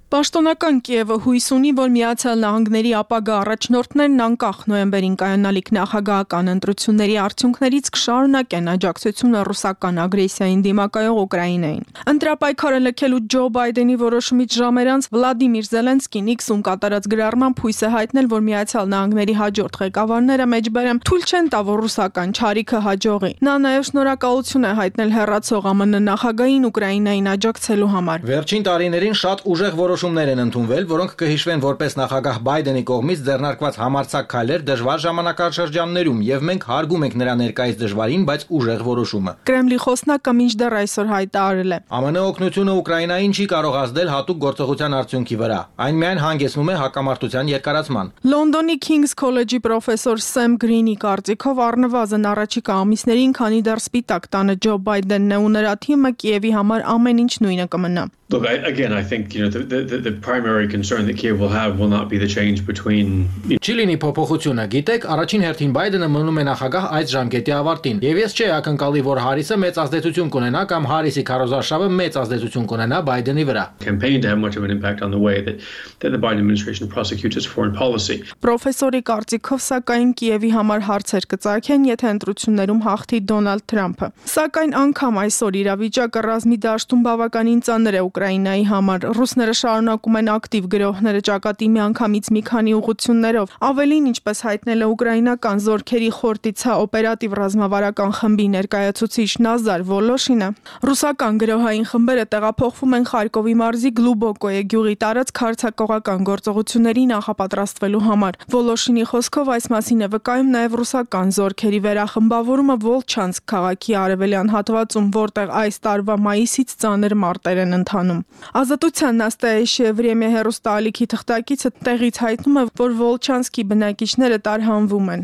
Պաշտոնական Կիևը հույս ունի, որ Միացյալ Նահանգների ապագա առաջնորդներն անկախ նոյեմբերին կայանալիք նախագահական ընտրությունների արդյունքներից կշարունակեն աջակցությունը ռուսական ագրեսիային դիմակայող Ուկրաինային։ Ընտրապայքարը լքելու Ջո Բայդենի որոշումից ժամեր անց Վլադիմիր Զելենսկին X-ում կատարած գրառմամբ հույս է հայտնել, որ Միացյալ Նահանգների հաջորդ ղեկավարները մեջբերեմ թույլ չեն տա, որ ռուսական չարիքը հաջողի։ Նա նաև շնորհակալություն է հայտնել հեռացող ԱՄՆ նախագահին Ուկրաինային աջակցելու համար։ Վերջին տարիներին շատ ուժեղ որոշումներ են ընդունվել, որոնք կհիշվեն որպես նախագահ Բայդենի կողմից ձեռնարկված համարձակ քայլեր դժվար ժամանակաշրջաններում, եւ մենք հարգում ենք նրա ներկայիս դժվարին, բայց ուժեղ որոշումը։ Կրեմլի խոսնակը մինչդեռ այսօր հայտարարել է. ԱՄՆ օգնությունը Ուկրաինային չի կարող ազդել հատուկ գործողության արդյունքի վրա։ Այն միայն հանգեցնում է հակամարտության երկարացման։ Լոնդոնի King's College-ի պրոֆեսոր Սեմ Գրինի կարծիքով առնվազն առաջիկա ամիսներին, քանի դեռ սպիտակ տանը Ջո Բայդենն է ու նրա թիմը, Կիևի համար ամեն ինչ նույնը կմնա։ Look, I, again, I think you know the, the the primary concern that Kiev will have will not be the change between. Չիլինի փոփոխությունը, գիտեք, առաջին հերթին Բայդենը մնում է նախագահ այս ժամկետի ավարտին։ Եվ ես չի ակնկալի, որ Հարիսը մեծ ազդեցություն կունենա կամ Հարիսի քարոզարշավը մեծ ազդեցություն կունենա Բայդենի վրա։ Campaign to have much of an impact on the way that that the Biden administration prosecutes its foreign policy. Պրոֆեսորի կարծիքով, սակայն Կիևի համար հարցեր կծագեն, եթե ընտրություններում հաղթի Դոնալդ Թրամփը։ Սակայն անգամ այսօր իրավիճակը ռազմի դաշտում բավականին ծանր է Ուկրաինայի համար։ Ռուսները շարունակում են ակտիվ գրոհները ճակատի միանգամից մի քանի ուղղություններով։ Ավելին, ինչպես հայտնել է ուկրաինական զորքերի խորտիցա օպերատիվ ռազմավարական խմբի ներկայացուցիչ Նազար Վոլոշինը, ռուսական գրոհային խմբերը տեղափոխվում են Խարկովի մարզի Գլուբոկոյե գյուղի տարածք հարձակողական գործողությունների նախապատրաստվելու համար։ Վոլոշինի խոսքով այս մասին է վկայում նաև ռուսական զորքերի վերախմբավորումը Վոլչանսկ քաղաքի արևելյան հատվածում, որտեղ այս տարվա մայիսից ծանր մարտեր են ընթանում։ Ազատության Նաստայեշիե Վրեմյա հեռուստաալիքի թղթակիցը տեղից հայտնում է, որ Վոլչանսկի բնակիչները տարհանվում են։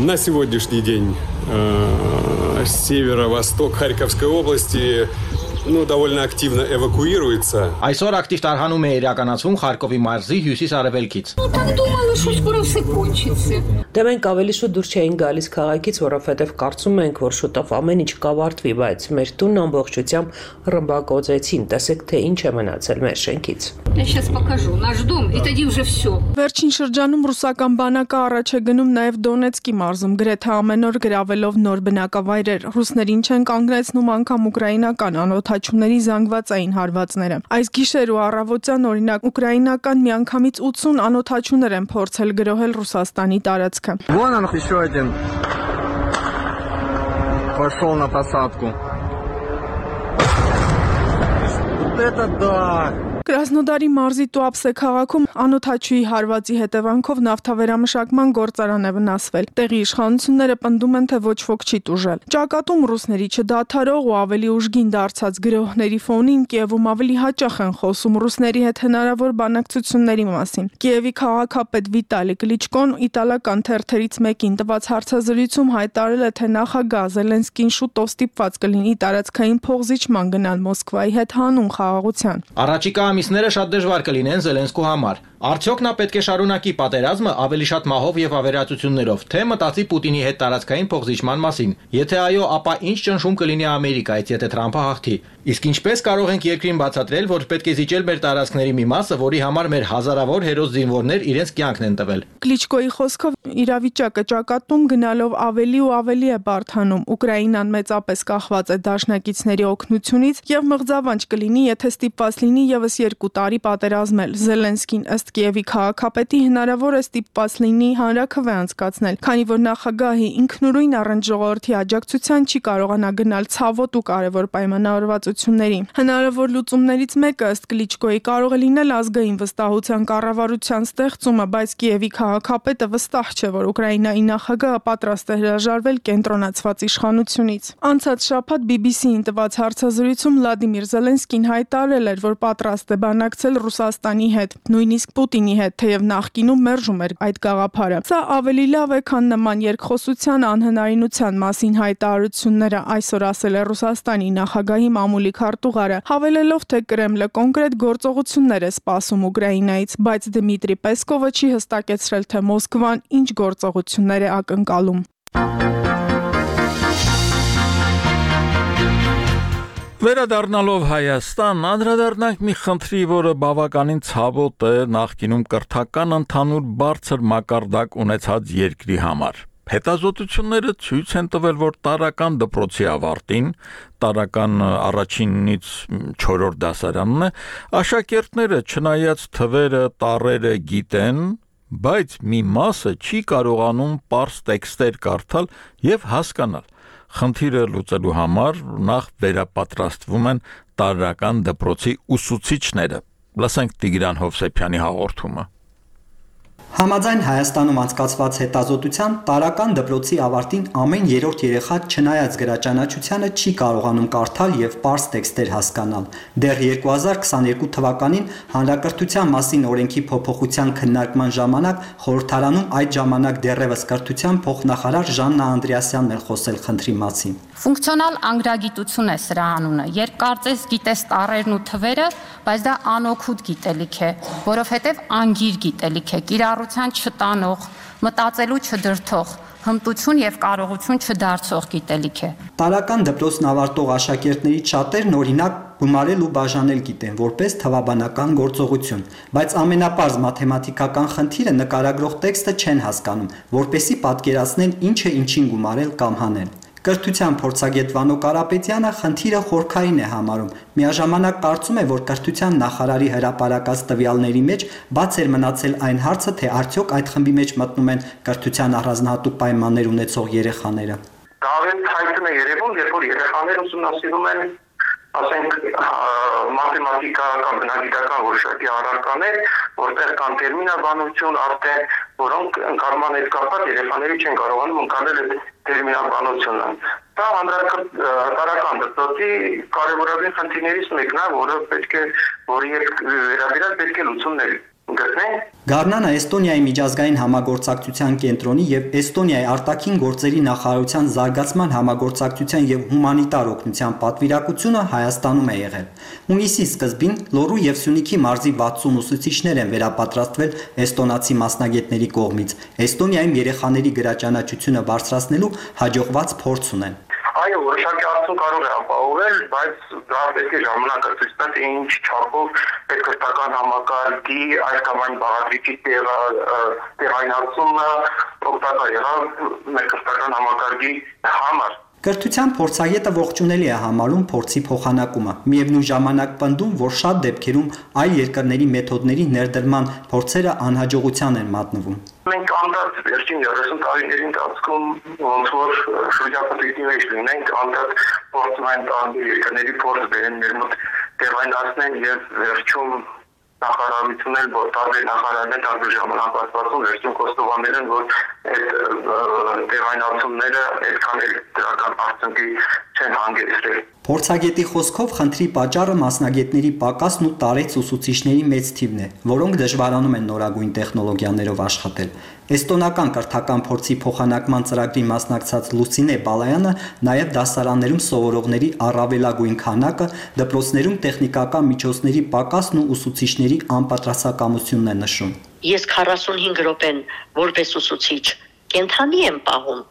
На сегодняшний день северо-восток Харьковской области ну довольно активно эвакуируется. Այսօր ակտիվ տարհանում է իրականացվում Խարկովի մարզի հյուսիս-արևելքից։ Դե մենք ավելի շուտ դուրս չէինք գալիս քաղաքից, որովհետև կարծում ենք, որ շուտով ամեն ինչ կավարտվի, բայց մեր տունն ամբողջությամբ ռմբակոծեցին։ Տեսեք, թե ինչ է մնացել մեր շենքից։ Վերջին շրջանում ռուսական բանակը առաջ է գնում նաև Դոնեցկի մարզում, գրեթե ամեն օր գրավելով նոր բնակավայրեր։ Ռուսներին չեն կանգնեցնում անգամ ուկրաինական անօթաչուների զանգվածային հարվածները։ Այս գիշեր ու առավոտյան օրինակ ուկրաինական միանգամից ութսուն անօթաչուներ են փորձել գրոհել Ռուսաստանի տարածքը։ Вон он еще один пошел на посадку. Вот это да! Կրասնոդարի մարզի Տուապսե քաղաքում անօթաչուի հարվածի հետևանքով նավթավերամշակման գործարան է վնասվել։ Տեղի իշխանությունները պնդում են, թե ոչ ոք չի տուժել։ Ճակատում ռուսների չդադարող ու ավելի ուժգին դարձած գրոհների ֆոնին Կիևում ավելի հաճախ են խոսում ռուսների հետ հնարավոր բանակցությունների մասին։ Կիևի քաղաքապետ Վիտալի Կլիչկոն իտալական թերթերից մեկին տված հարցազրույցում հայտարարել է, թե նախագահ Զելենսկին շուտով ստիպված կլինի տարածքային փոխզիջման գնալ Մոսկվայի հետ հանուն խաղաղության։ Առաջիկա ամիսները շատ դժվար կլինեն Զելենսկու համար։ Արդյոք նա պետք է շարունակի պատերազմը ավելի շատ մահով եւ ավերածություններով, թե մտածի Պուտինի հետ տարածքային փոխզիջման մասին։ Եթե այո, ապա ինչ ճնշում կլինի Ամերիկայից, եթե Թրամփը հաղթի։ Իսկ ինչպես կարող ենք երկրին բացատրել, որ պետք է զիջել մեր տարածքների մի մասը, որի համար մեր հազարավոր հերոս զինվորներ իրենց կյանքն են տվել։ Կլիչկոյի խոսքով իրավիճակը ճակատում գնալով ավելի ու ավելի է բարդանում։ Ուկրաինան մեծապես կախված է դաշնակիցների օգնությունից եւ մղձավանջ կլինի, եթե ստիպված լինի եւս երկու տարի պատերազմել։ Զելենսկին ըստ Կիևի քաղաքապետի հնարավոր է ստիպված լինի հանրաքվե անցկացնել, քանի որ նախագահի ինքնուրույն առանց ժողովրդի աջակցության չի կարողանա գնալ ցավոտ ու կարևոր պայմանավորվածությունների։ Հնարավոր լուծումներից մեկը ըստ Կլիչկոյի կարող է լինել ազգային վստահության կառավարության ստեղծումը, բայց Կիևի քաղաքապետը վստահ չէ, որ Ուկրաինայի նախագահը պատրաստ է հրաժարվել կենտրոնացված իշխանությունից։ Անցած շաբաթ բի բի սի-ին տված հարցազրույցում Վլադիմիր Զելենսկին հայտարարել էր, որ պատրաստ է բանակցել Ռուսաստանի հետ, նույնիսկ Պուտինի հետ, թեև նախկինում մերժում էր այդ գաղափարը։ Սա ավելի լավ է, քան նման երկխոսության անհնարինության մասին հայտարարությունները, այսօր ասել է Ռուսաստանի նախագահի մամուլի քարտուղարը, հավելելով, թե Կրեմլը կոնկրետ գործողություններ է սպասում Ուկրաինայից, բայց Դմիտրի Պեսկովը չի հստակեցրել, թե Մոսկվան ինչ գործողություններ է ակնկալում։ Վերադառնալով Հայաստան, անդրադառնանք մի խնդրի, որը բավականին ցավոտ է նախկինում կրթական ընդհանուր բարձր մակարդակ ունեցած երկրի համար։ Հետազոտությունները ցույց են տվել, որ տարական դպրոցի ավարտին, տարական առաջինից չորրորդ դասարանն է, աշակերտները չնայած թվերը, տառերը գիտեն, բայց մի մասը չի կարողանում պարզ տեքստեր կարդալ եւ հասկանալ։ Խնդիրը լուծելու համար նախ վերապատրաստվում են տարրական դպրոցի ուսուցիչները։ Լսենք Տիգրան Հովսեփյանի հաղորդումը։ Համաձայն Հայաստանում անցկացված հետազոտության տարրական դպրոցի ավարտին ամեն երրորդ երեխա չնայած գրաճանաչությանը չի կարողանում կարդալ եւ պարզ տեքստեր հասկանալ։ Դեռ երկու հազար քսաներկու թվականին Հանրակրթության մասին օրենքի փոփոխության քննարկման ժամանակ խորհրդարանում այդ ժամանակ դեռևս կրթության փոխնախարար Ժաննա Անդրեասյանն էր խոսել խնդրի մասին։ Ֆունկցիոնալ անգրագիտություն է սրա անունը։ Երբ կարծես գիտես տառերն ու թվերը, բայց դա անօգուտ գիտելիք է, որովհետև անգիր գիտելիք է, կիրառության չտանող, մտածելու չդրթող, հմտություն եւ կարողություն չդարձող գիտելիք է։ Տարրական դպրոցն ավարտող աշակերտներից շատերն օրինակ գումարել ու բաժանել գիտեն որպես թվաբանական գործողություն, բայց ամենապարզ մաթեմատիկական խնդիրը նկարագրող տեքստը չեն հասկանում, որպեսզի պատկերացնեն ինչ է ինչին գումարել կամ հանել։ Կրթության փորձագետ Վանո Կարապետյանը խնդիրը խորքային է համարում։ Միաժամանակ կարծում է, որ կրթության նախարարի հրապարակած տվյալների մեջ բաց էր մնացել այն հարցը, թե արդյոք այդ խմբի մեջ մտնում են կրթության առանձնահատուկ պայմաններ ունեցող երեխաները։ Դա ավելի հայտնի է երևում, երբ որ երեխաները ուսումնասիրում են, ասենք, մաթեմատիկա կամ բնագիտական որոշակի առարկաներ, որտեղ կան տերմինաբանություն, արդեն, որոնք ընկալման հետ կապված երեխաները չեն կարողանում ընկալել այդ տերմինաբանությունը։ Դա հանրակրթական դպրոցի կարևորագույն խնդիրներից մեկն է, որը պետք է, որի վերաբերյալ պետք է լուծումներ գտնեն։ Գառնանը Էստոնիայի միջազգային համագործակցության կենտրոնի եւ Էստոնիայի արտաքին գործերի նախարարության զարգացման համագործակցության եւ հումանիտար օգնության պատվիրակությունը Հայաստանում է եղել։ Հունիսի սկզբին Լոռու եւ Սյունիքի մարզի վաթսուն ուսուցիչներ են վերապատրաստվել էստոնացի մասնագետների կողմից։ Էստոնիայում երեխաների գրաճանաչությունը բարձրացնելու հաջողված փորձ ունեն։ Այո, որոշակի արդյունք կարող է ապահովել, բայց դա պետք է ժամանակը ցույց տա, թե ինչ չափով պետքրթական համակարգի այս կամ այն բաղադրիչի տեղայնացումը օգտակար եղավ մեր կրթական համակարգի համար։ Կրթության փորձագետը ողջունելի է համարում փորձի փոխանակումը։ Միևնույն ժամանակ պնդում, որ շատ դեպքերում այլ երկրների մեթոդների ներդրման փորձերը անհաջողության են մատնվում։ Մենք անդադ վերջին երեսուն տարիների ընթացքում ոնց որ շրջապատի մեջ լինենք, անդադ փորձում են տանջի երկրների փորձ բերեն մեր մոտ տեղայնացնեն եւ վերջում նախարարությունն էլ որ տարբեր նախարարներ տարբեր ժամանակ ասվածում վերջում կոստովանել են, որ այդ տեղայնացումները այդքան էլ դրական արդյունքի չեն հանգեցրել։ Փորձագետի խոսքով խնդրի պատճառը մասնագետների պակասն ու տարեց ուսուցիչների մեծ թիվն է, որոնք դժվարանում են նորագույն տեխնոլոգիաներով աշխատել։ Էստոնական կրթական փորձի փոխանակման ծրագրի մասնակցած Լուսինե Բալայանը նաև դասարաններում սովորողների առավելագույն քանակը, դպրոցներում տեխնիկական միջոցների պակասն ու ուսուցիչների անպատրաստակամությունն է նշում։ Ես քառասունհինգ րոպեն որպես ուսուցիչ կենթանի եմ պահում,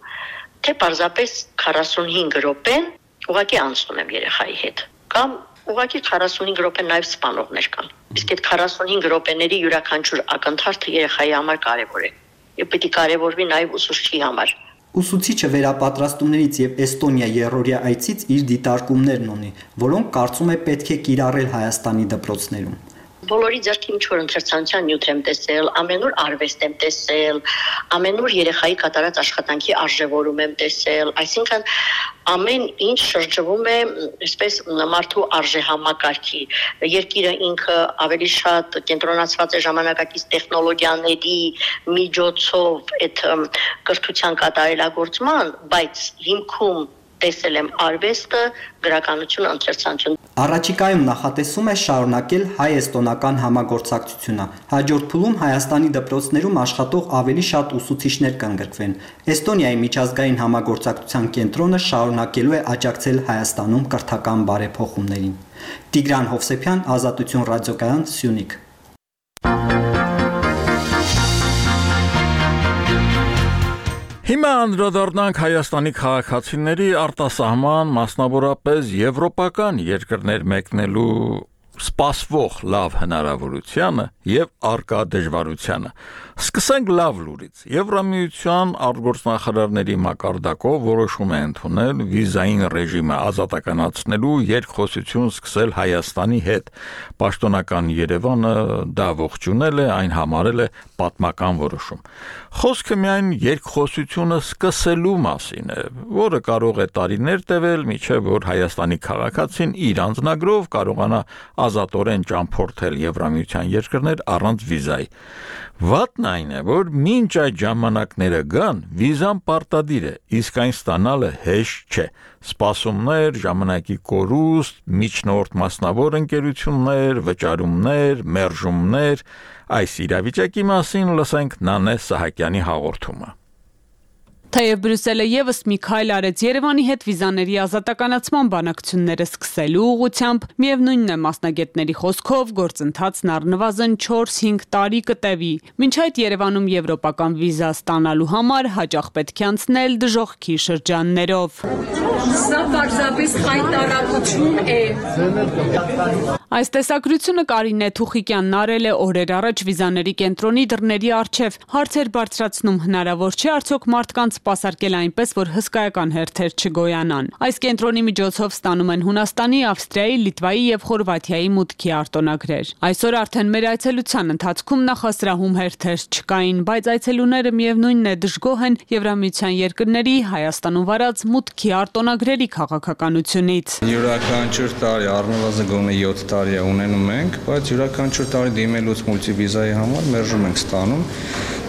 թե պարզապես քառասունհինգ րոպեն ուղղակի անցնում եմ երեխայի հետ, կամ ուղղակի քառասունհինգ րոպե նաև սպանողներ կան։ Իսկ այդ քառասունհինգ րոպեների յուրաքանչյուր ակնթարթը երեխայի համար կարևոր է։ Եվ պետք է կարևորվի նաև ուսուցչի համար։ Ուսուցիչը վերապատրաստումներից եւ Էստոնիա երրորդյա այցից իր դիտարկումներն ունի, որոնք կարծում է պետք է կիրառել Հայաստանի դպրոցներում։ Բոլորի ձեռքի ինչ-որ ընթերցանության նյութ եմ տեսել, ամենուր արվեստ եմ տեսել, ամենուր երեխայի կատարած աշխատանքի արժևորում եմ տեսել, այսինքն ամեն ինչ շրջվում է այսպես մարդու արժեհամակարգի։ Երկիրը ինքը ավելի շատ կենտրոնացված է ժամանակակից տեխնոլոգիաների միջոցով այդ կրթության կատարելագործման, բայց հիմքում տեսել եմ արվեստը, գրականությունը, ընթերցանությունը։ Առաջիկայում նախատեսում է շարունակել հայ-էստոնական համագործակցությունը։ Հաջորդ փուլում Հայաստանի դպրոցներում աշխատող ավելի շատ ուսուցիչներ կընդգրկվեն։ Էստոնիայի միջազգային համագործակցության կենտրոնը շարունակելու է աջակցել Հայաստանում կրթական բարեփոխումներին։ Տիգրան Հովսեփյան, Ազատություն ռադիոկայան, Սյունիք։ Հիմա Հիմա անդրադառնանք Հայաստանի քաղաքացիների արտասահման, մասնավորապես եվրոպական երկրներ մեկնելու սպասվող լավ հնարավորությանը եւ արկա դժվարությանը։ Սկսենք լավ լուրից։ Եվրամիության արտգործնախարարների մակարդակով որոշում է ընդունել վիզային ռեժիմը ազատականացնելու երկխոսություն սկսել Հայաստանի հետ։ Պաշտոնական Երևանը դա ողջունել է, այն համարել է պատմական որոշում։ Խոսքը միայն երկխոսությունը սկսելու մասին է, որը կարող է տարիներ տևել, մինչև որ Հայաստանի քաղաքացին իր անձնագրով կարողանա ազատորեն ճամփորդել Եվրամիության երկրներ առանց վիզայի։ Վատն այն է, որ մինչ այդ ժամանակները գան, վիզան պարտադիր է, իսկ այն ստանալը հեշտ չէ։ Սպասումներ, ժամանակի կորուստ, միջնորդ մասնավոր ընկերություններ, վճարումներ, մերժումներ, այս իրավիճակի մասին լսենք Նանե Սահակյանի հաղորդումը։ Թեև Բրյուսելը եւս մի քայլ արեց Երևանի հետ վիզաների ազատականացման բանակցությունները սկսելու ուղղությամբ, միևնույնն է մասնագետների խոսքով գործընթացն առնվազն չորս-հինգ տարի կտևի։ Մինչ այդ Երևանում եվրոպական վիզա ստանալու համար հաճախ պետք է անցնել դժոխքի շրջաններով։ Սա պարզապես խայտարակություն է։ Այս տեսակրությունը Կարինե Թուխիկյանն արել է օրեր առաջ վիզաների կենտրոնի դռների առջև, հարցեր բարձրացնում հնարավոր չէ արդյոք մարդկանց սպասարկել այնպես, որ հսկայական հերթեր չգոյանան։ Այս կենտրոնի միջոցով ստանում են Հունաստանի, Ավստրիայի, Լիտվայի եւ Խորվաթիայի մուտքի արտոնագրեր։ Այսօր արդեն մեր այցելության ընթացքում նախասրահում հերթեր չկային, բայց այցելուները միևնույնն է դժգոհ են Եվրամիության երկրների Հայաստանում վարած մուտքի արտոնագրերի քաղաքականությունից։ Յուրաքանչյուր տարի առնվազն գոնե յոթ տարի է ունենում ենք, բայց յուրաքանչյուր տարի դիմելուց մուլտիվիզայի համար մերժում ենք ստանում,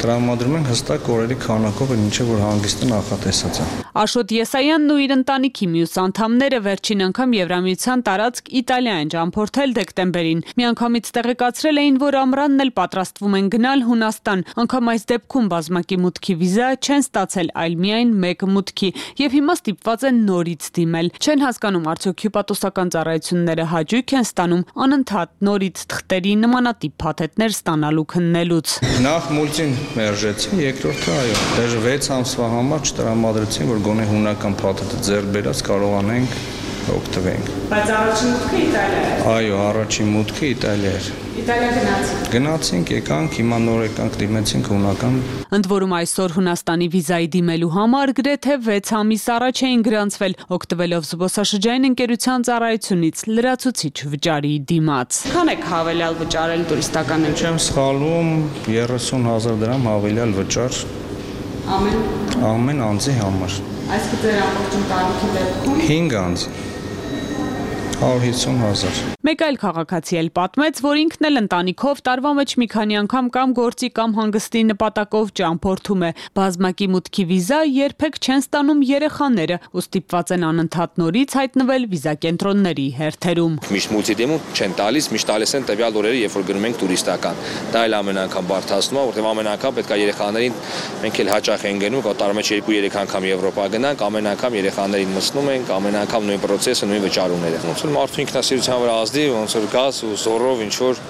տրամադրում ենք հստակ օրերի քանակով, ինչը որ հանգիստը նախատեսած է։ Աշոտ Եսայանն ու իր ընտանիքի մյուս անդամները վերջին անգամ Եվրամիության տարածք Իտալիա են ճամփորդել դեկտեմբերին։ Միանգամից տեղեկացրել էին, որ ամռանն էլ պատրաստվում են գնալ Հունաստան, անգամ այս դեպքում բազմակի մուտքի վիզա չեն ստացել, այլ միայն մեկ մուտքի, եւ հիմա ստիպված են նորից դիմել։ Չեն հասկանում, արդյոք հյուպատոսական ծառայությունները հաճույք են ստանում անընդհատ նորից թղթերի նմանատիպ փաթեթներ ստանալու քննելուց։ Նախ մուլտին մերժեցին, երկրորդը այո, դեռ վեց ամսվա համար չտրամադրեցին, որ գոնե հունական փաթեթը ձեռք բերած կարողանենք օգտվենք։ Բայց առաջին մուտքը Իտալիա է։ Այո, առաջին մուտքը Իտալիա էր։ Իտալիա գնացինք։ Գնացինք, եկանք, հիմա նոր եկանք, դիմեցինք հունական։ Ընդ որում այսօր Հունաստանի վիզայի դիմելու համար գրեթե վեց ամիս առաջ էին գրանցվել, օգտվելով զբոսաշրջային ընկերության ծառայությունից լրացուցիչ վճարի դիմաց։ Քան եք հավելյալ վճարել տուրիստական ընկերության։ Չեմ սխալվում, երեսուն հազար դրամ հավելյալ վճար։ Ամեն ամեն անձի համար։ Այս կտեր ամբողջ ընտանիքի դեպքում հինգ անձ հարյուր հիսուն հազար։ Մեկ այլ քաղաքացի էլ պատմեց, որ ինքն էլ ընտանիքով տարվա մեջ մի քանի անգամ կամ գործի կամ հանգստի նպատակով ճամփորդում է։ Բազմակի մուտքի վիզա երբեք չեն ստանում երեխաները, ու ստիպված են անընդհատ նորից հայտնվել վիզակենտրոնների հերթերում։ Միշտ մուլտիդեմում չեն տալիս, միշտ տալիս են տվյալ օրերը, երբ որ գնում ենք տուրիստական։ Դա էլ ամեն անգամ բարդացնում է, որտեղ ամեն անգամ պետք է երեխաներին մենք էլ հաճախ են գնում, տարի մեջ երկու-երեք անգամ Եվրոպա գնանք, ամեն անգամ երեխաներին մտցնում ենք, ամեն անգամ նույն process-ը, նույն վճարումները։ Ոնց որ մարդու ինքնասիրության վրա ազդի, ոնց որ գազ ու զորով ինչ որ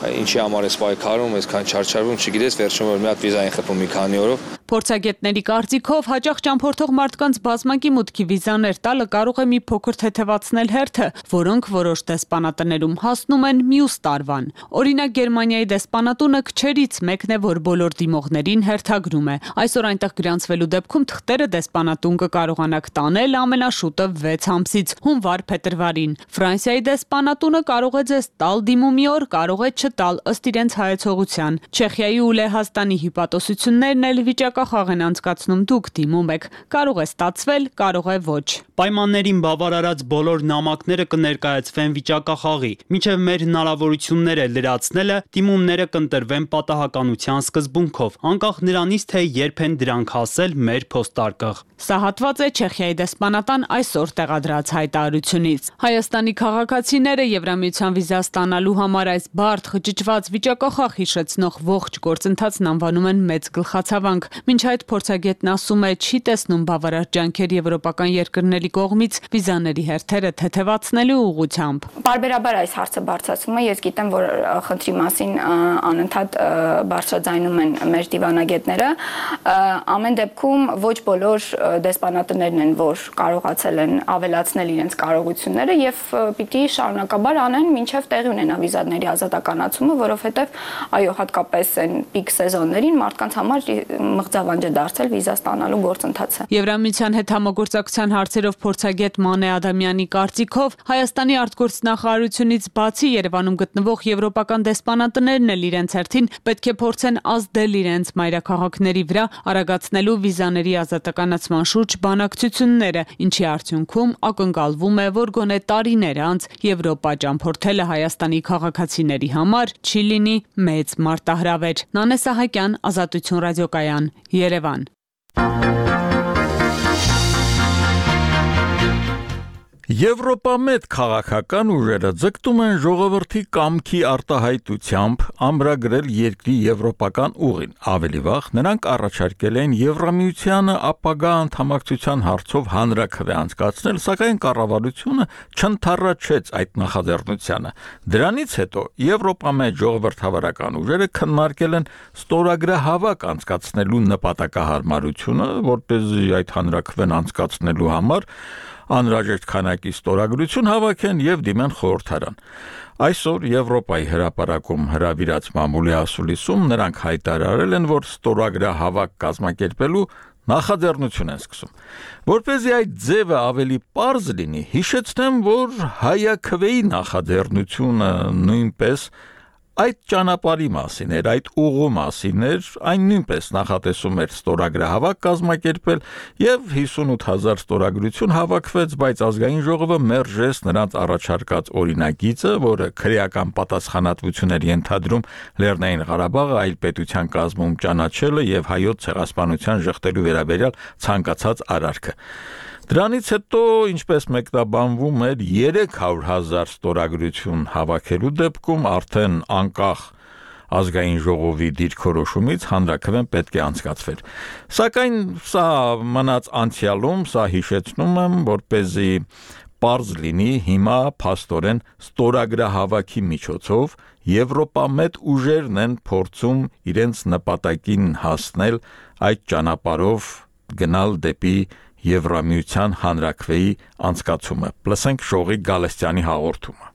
ինչի համար է պայքարում, այսքան չարչարվում, չգիտես, վերջում որ մի հատ վիզա են խփում մի քանի օրով։ Փորձագետների կարծիքով հաճախ ճամփորդող մարդկանց բազմակի մուտքի վիզաներ տալը կարող է մի փոքր թեթևացնել հերթը, որոնք որոշ դեսպանատներում հասնում են մյուս տարվան։ Օրինակ Գերմանիայի դեսպանատունը քչերից մեկն է, որ բոլոր դիմողներին հերթագրում է։ Այսօր այնտեղ գրանցվելու դեպքում թղթերը դեսպանատուն կկարողանաք տանել ամենաշուտը վեց ամսից հունվար-փետրվարին։ Ֆրանսիայի դեսպանատունը կարող է ձեզ տալ դիմումի օր, կարող է չտալ ըստ իրենց հայեցողության։ Չեխիայի ու Լեհաստանի հյուպատոսություններն էլ վիճակախաղ են անցկացնում, դուք դիմում եք, կարող է ստացվել, կարող է ոչ։ Պայմաններին բավարարած բոլոր նամակները կներկայացվեն վիճակախաղի, մինչև մեր հնարավորությունները լրացնելը դիմումները կընտրվեն պատահականության սկզբունքով, անկախ նրանից, թե երբ են դրանք հասել մեր փոստարկղ։ Սա հատված է Չեխիայի դեսպանատան այսօր տեղադրած հայտարարությունից։ Հայաստանի քաղաքացիները Եվրամիության վիզա ստանալու համար այս բարդ խճճված վիճակախախ հիշեցնող ողջ գործընթացն անվանում են մեծ գլխացավանք։ Մինչ այդ փորձագետն ասում է, չի տեսնում բավարար ջանքեր եվրոպական երկրների կողմից վիզաների հերթերը թեթևացնելու ուղղությամբ։ Բարբերաբար այս հարցը բարձրացվում է, ես գիտեմ, որ խնդրի մասին անընդհատ բարձրաձայնում են մեր դիվանագետները։ Ամեն դեպքում ոչ բոլոր դեսպանատներն են, որ կարողացել են ավելացնել իրենց կարողությունները եւ պիտի շարունակաբար անեն մինչեւ տեղի ունենա վիզաների ազատականացումը, որովհետեւ այո, հատկապես այն պիկ սեզոններին մարդկանց համար մղձավանջ է դարձել վիզա ստանալու գործընթացը։ Եվրամիության հետ համագործակցության հարցերով փորձագետ Մանե Ադամյանի կարծիքով Հայաստանի արտգործնախարարությունից բացի Երևանում գտնվող եվրոպական դեսպանատներն էլ իրենց հերթին պետք է փորձեն ազդել իրենց մայրաքաղաքների վրա արագացնելու վիզաների ազատականացման շուրջ բանակցությունները, ինչի արդյունքում ակնկալվում է, որ գոնե տարիներ անց Եվրոպա ճամփորդելը Հայաստանի քաղաքացիների համար չի լինի մեծ մարտահրավեր։ Նանե Սահակյան, Ազատություն ռադիոկայան, Երևան։ Եվրոպամետ քաղաքական ուժերը ձգտում են ժողովրդի կամքի արտահայտությամբ ամրագրել երկրի եվրոպական ուղին։ Ավելի վաղ նրանք առաջարկել են Եվրամիությանը ապագա անդամակցության հարցով հանրաքվե անցկացնել, սակայն կառավարությունը չընդառաջեց այդ նախաձեռնությանը։ Դրանից հետո Եվրոպամետ ժողովրդավարական ուժերը քննարկել են ստորագրահավաք անցկացնելու նպատակահարմարությունը, որպեսզի այդ հանրաքվեն անցկացնելու համար անհրաժեշտ քանակի ստորագրություն հավաքեն եւ դիմեն խորհրդարան։ Այսօր Եվրոպայի հրապարակում հրավիրած մամուլի ասուլիսում նրանք հայտարարել են, որ ստորագրահավաք կազմակերպելու նախաձեռնություն են սկսում։ Որպեսզի այդ ձևը ավելի պարզ լինի, հիշեցնեմ, որ հայաքվեի նախաձեռնությունը նույնպես այդ ճանապարհի մասին էր, այդ ուղու մասին էր, այն նույնպես նախատեսում էր ստորագրահավաք կազմակերպել եւ հիսունութ հազար ստորագրություն հավաքվեց, բայց ազգային ժողովը մերժեց նրանց առաջարկած օրինագիծը, որը քրեական պատասխանատվություն էր ենթադրում Լեռնային Ղարաբաղը այլ պետության կազմում ճանաչելը եւ հայոց ցեղասպանության ժխտելու վերաբերյալ ցանկացած արարքը։ Դրանից հետո, ինչպես մեկնաբանվում էր, երեք հարյուր հազար ստորագրություն հավաքելու դեպքում արդեն անկախ ազգային ժողովի դիրքորոշումից հանրաքվեն պետք է անցկացվեր։ Սակայն սա մնաց անցյալում, սա հիշեցնում եմ, որպեսզի պարզ լինի հիմա փաստորեն ստորագրահավաքի միջոցով Եվրոպամետ ուժերն են փորձում իրենց նպատակին հասնել այդ ճանապարհով գնալ դեպի Եվրամիության հանրաքվեի անցկացումը։ Լսենք Շողի Գալստյանի հաղորդումը։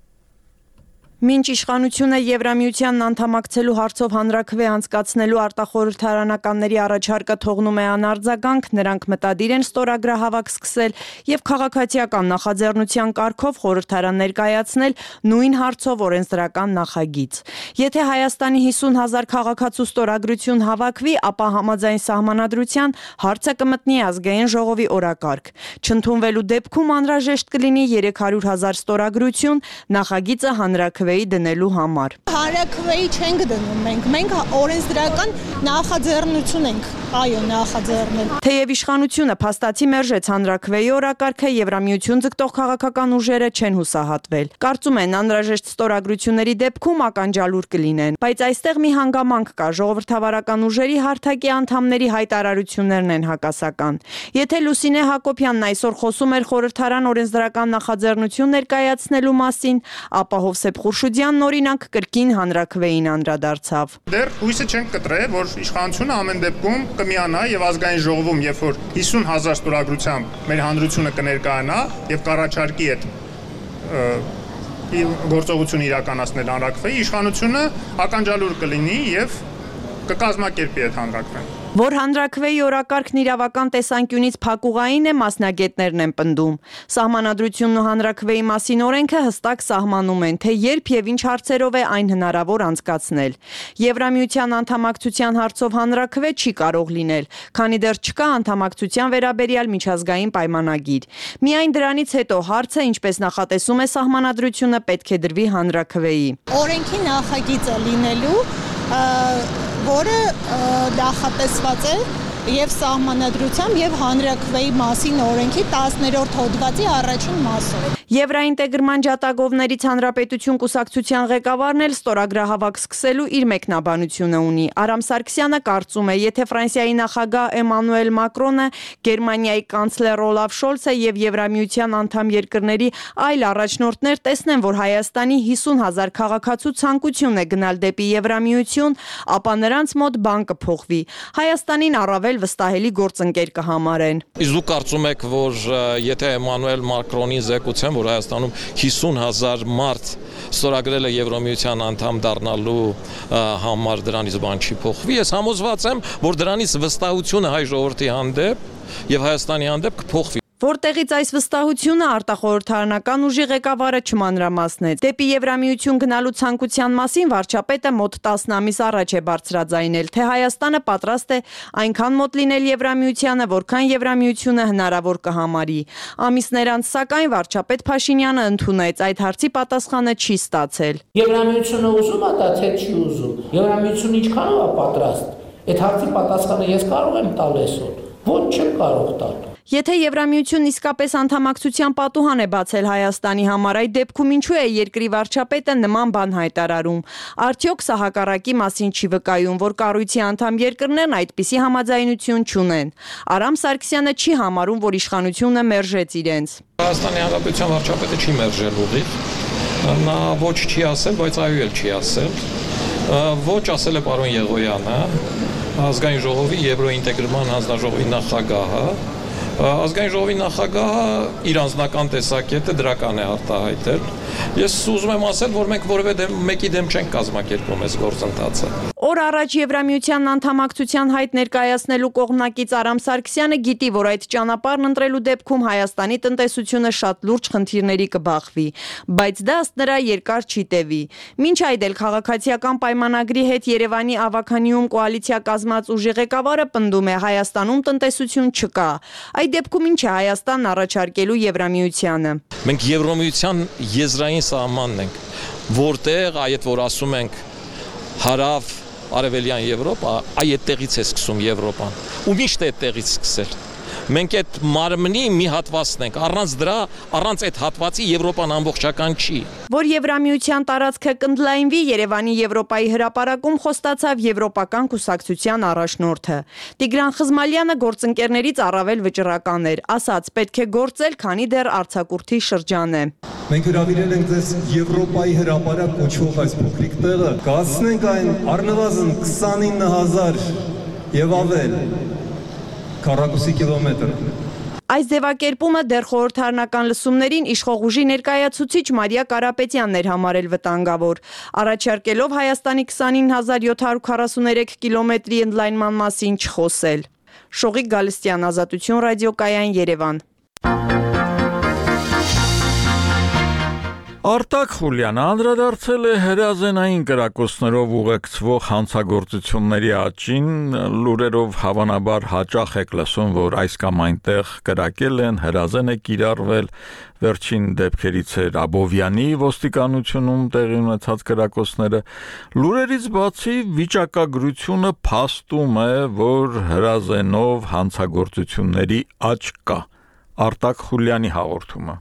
Մինչ իշխանությունը Եվրամիությանն անդամակցելու հարցով հանրաքվե անցկացնելու արտախորհրդարանականների առաջարկը թողնում է անարձագանք, նրանք մտադիր են ստորագրահավաք սկսել եւ քաղաքացիական նախաձեռնության կարգով խորհրդարան ներկայացնել նույն հարցով օրենսդրական նախագիծ։ Եթե Հայաստանի հիսուն հազար քաղաքացու ստորագրություն հավաքվի, ապա համաձայն սահմանադրության հարցը կմտնի ազգային ժողովի օրակարգ։ Չընդունվելու դեպքում անհրաժեշտ կլինի երեք հարյուր հազար ստորագրություն, նախագիծը հանրաքվե դնելու համար։ Հանրաքվեի չենք դնում մենք, մենք օրենսդրական նախաձեռնություն ենք, այո, նախաձեռնել։ Թեև իշխանությունը փաստացի մերժեց հանրաքվեի օրակարգը, Եվրամիություն ձգտող քաղաքական ուժերը չեն հուսահատվել։ Կարծում են անհրաժեշտ ստորագրությունների դեպքում ականջալուր կլինեն, բայց այստեղ մի հանգամանք կա, ժողովրդավարական ուժերի հարթակի անդամների հայտարարություններն են հակասական։ Եթե Լուսինե Հակոբյանն այսօր խոսում էր խորհրդարան օրենսդրական նախաձեռնություն ներկայացնելու մասին, ապա Հովսեփ Խուրշուդյանն օրինակ կրկին հանրաքվեին անդրադարձավ։ Դեռ հույսը չենք կտրել, որ իշխանությունը ամեն դեպքում կմիանա եւ ազգային ժողովում, երբ որ հիսուն հազար ստորագրությամբ մեր հանրությունը կներկայանա եւ կառաջարկի այդ գործողություն իրականացնել հանրաքվեի, իշխանությունը ականջալուր կլինի եւ կկազմակերպի այդ հանրաքվեն։ Որ հանրաքվեի օրակարգն իրավական տեսանկյունից փակուղային է, մասնագետներն են պնդում։ Սահմանադրությունն ու հանրաքվեի մասին օրենքը հստակ սահմանում են, թե երբ եւ ինչ հարցերով է այն հնարավոր անցկացնել։ Եվրամիության անդամակցության հարցով հանրաքվե չի կարող լինել, քանի դեռ չկա անդամակցության վերաբերյալ միջազգային պայմանագիր։ Միայն դրանից հետո հարցը, ինչպես նախատեսում է սահմանադրությունը, պետք է դրվի հանրաքվեի։ Օրենքի նախագիծը լինելու որը նախատեսված է եւ սահմանադրությամբ եւ հանրաքվեի մասին օրենքի տասներորդ հոդվածի առաջին մասով։ Եվրաինտեգրման ջատագովներից Հանրապետություն կուսակցության ղեկավարն էլ ստորագրահավաք սկսելու իր մեկնաբանությունը ունի։ Արամ Սարգսյանը կարծում է, եթե Ֆրանսիայի նախագահ Էմանուել Մակրոնը, Գերմանիայի կանցլեր Օլաֆ Շոլցը եւ Եվրամիության անդամ երկրների այլ առաջնորդներ տեսնեն, որ Հայաստանի հիսուն հազար քաղաքացու ցանկություն է գնալ դեպի Եվրամիություն, ապա նրանց մոտ բան կփոխվի։ Հայաստանին առավել վստահելի գործընկեր կհամարեն։ Իսկ դուք կարծում եք, որ եթե Էմանուել Մակրոնի զեկուցեն, որ Հայաստանում հիսուն հազար մարդ ստորագրել է Եվրամիության անդամ դառնալու համար դրանից բան չի փոխվի, ես համոզված եմ, որ դրանից վստահությունը հայ ժողովրդի հանդեպ եւ Հայաստանի հանդեպ կփոխվի։ Որտեղից այս վստահությունը արտախորհրդարանական ուժի ղեկավարը չմանրամասնեց։ Դեպի Եվրամիություն գնալու ցանկության մասին վարչապետը մոտ տասն ամիս առաջ է բարձրաձայնել, թե Հայաստանը պատրաստ է այնքան մոտ լինել Եվրամիությանը, որքան Եվրամիությունը հնարավոր կհամարի։ Ամիսներ անց սակայն վարչապետ Փաշինյանը ընդունեց, այդ հարցի պատասխանը չի ստացել։ Եվրամիությունը ուզում է դա թե չի ուզում։ Եվրամիությունը ինչքանով է պատրաստ։ Այդ հարցի պատասխանը ես կարող եմ տալ այսօր։ Ոչ չեմ կարող տալ։ Եթե Եվրամիությունն իսկապես անդամակցության պատուհան է բացել Հայաստանի համար, այդ դեպքում ինչու է երկրի վարչապետը նման բան հայտարարում։ Արդյոք սա հակառակի մասին չի վկայում, որ կառույցի անդամ երկրներն այդպիսի համաձայնություն չունեն։ Արամ Սարգսյանը չի համարում, որ իշխանությունը մերժեց իրենց։ Հայաստանի Հանրապետության վարչապետը չի մերժել ուղիղ։ Նա ոչ չի ասել, բայց այո էլ չի ասել։ Ոչ ասել է պարոն Եղոյանը, ազգային ժողովի Եվրոինտեգրման հանձնաժողովի նախագահը։ Ազգային ժողովի նախագահը իր անձնական տեսակետը դրական է արտահայտել։ Ես ուզում եմ ասել, որ մենք որևէ մեկի դեմ չենք կազմակերպում այս գործընթացը։ Օր առաջ Եվրամիության անդամակցության հայտ ներկայացնելու կողմնակից Արամ Սարգսյանը գիտի, որ այդ ճանապարհն ընտրելու դեպքում Հայաստանի տնտեսությունը շատ լուրջ խնդիրների կբախվի, բայց դա ըստ նրա երկար չի տևի։ Մինչ այդ էլ քաղաքացիական պայմանագրի հետ Երևանի ավականիում կոալիցիա կազմած ուժի ղեկավարը պնդում է, Հայաստանում տնտեսություն չկա։ Այդ դեպքում ինչ է Հայաստանն առաջարկելու Եվրամիությանը։ Մենք Եվրամիության եզրային սահմանն ենք, որտեղ այդ որ ասում ենք հարավ Արևելյան Եվրոպա, այդտեղից է սկսում Եվրոպան։ Ու միշտ է այդտեղից սկսել։ Մենք այդ մարմնի մի հատվածն ենք, առանց դրա, առանց այդ հատվածի Եվրոպան ամբողջական չի։ Որ Եվրամիության տարածքը կընդլայնվի, Երևանի Եվրոպայի հրապարակում խոստացավ Եվրոպական կուսակցության առաջնորդը։ Տիգրան Խզմալյանը գործընկերներից առավել վճռական էր, ասաց՝ պետք է գործել, քանի դեռ արձակուրդի շրջան է։ Մենք հրավիրել ենք ձեզ Եվրոպայի հրապարակ կոչվող այս փոքրիկ տեղը, կհասցնենք այն առնվազն քսանինը հազար եւ ավել քառակուսի կիլոմետր։ Այս ձևակերպումը դեռ խորհրդարանական լսումներին իշխող ուժի ներկայացուցիչ Մարիա Կարապետյանն էր համարել վտանգավոր, առաջարկելով Հայաստանի քսանինը հազար յոթ հարյուր քառասուներեք կիլոմետրի ընդլայնման մասին չխոսել։ Շողիկ Գալստյան, Ազատություն ռադիոկայան, Երևան։ Արտակ Խուլյանը անդրադարձել է հրազենային կրակոցներով ուղեկցվող հանցագործությունների աճին, լուրերով հավանաբար հաճախ եք լսում, որ այս կամ այնտեղ կրակել են, հրազեն է կիրառվել, վերջին դեպքերից էր Աբովյանի ոստիկանությունում տեղի ունեցած կրակոցները։ Լուրերից բացի վիճակագրությունը փաստում է, որ հրազենով հանցագործությունների աճ կա։ Արտակ Խուլյանի հաղորդումը։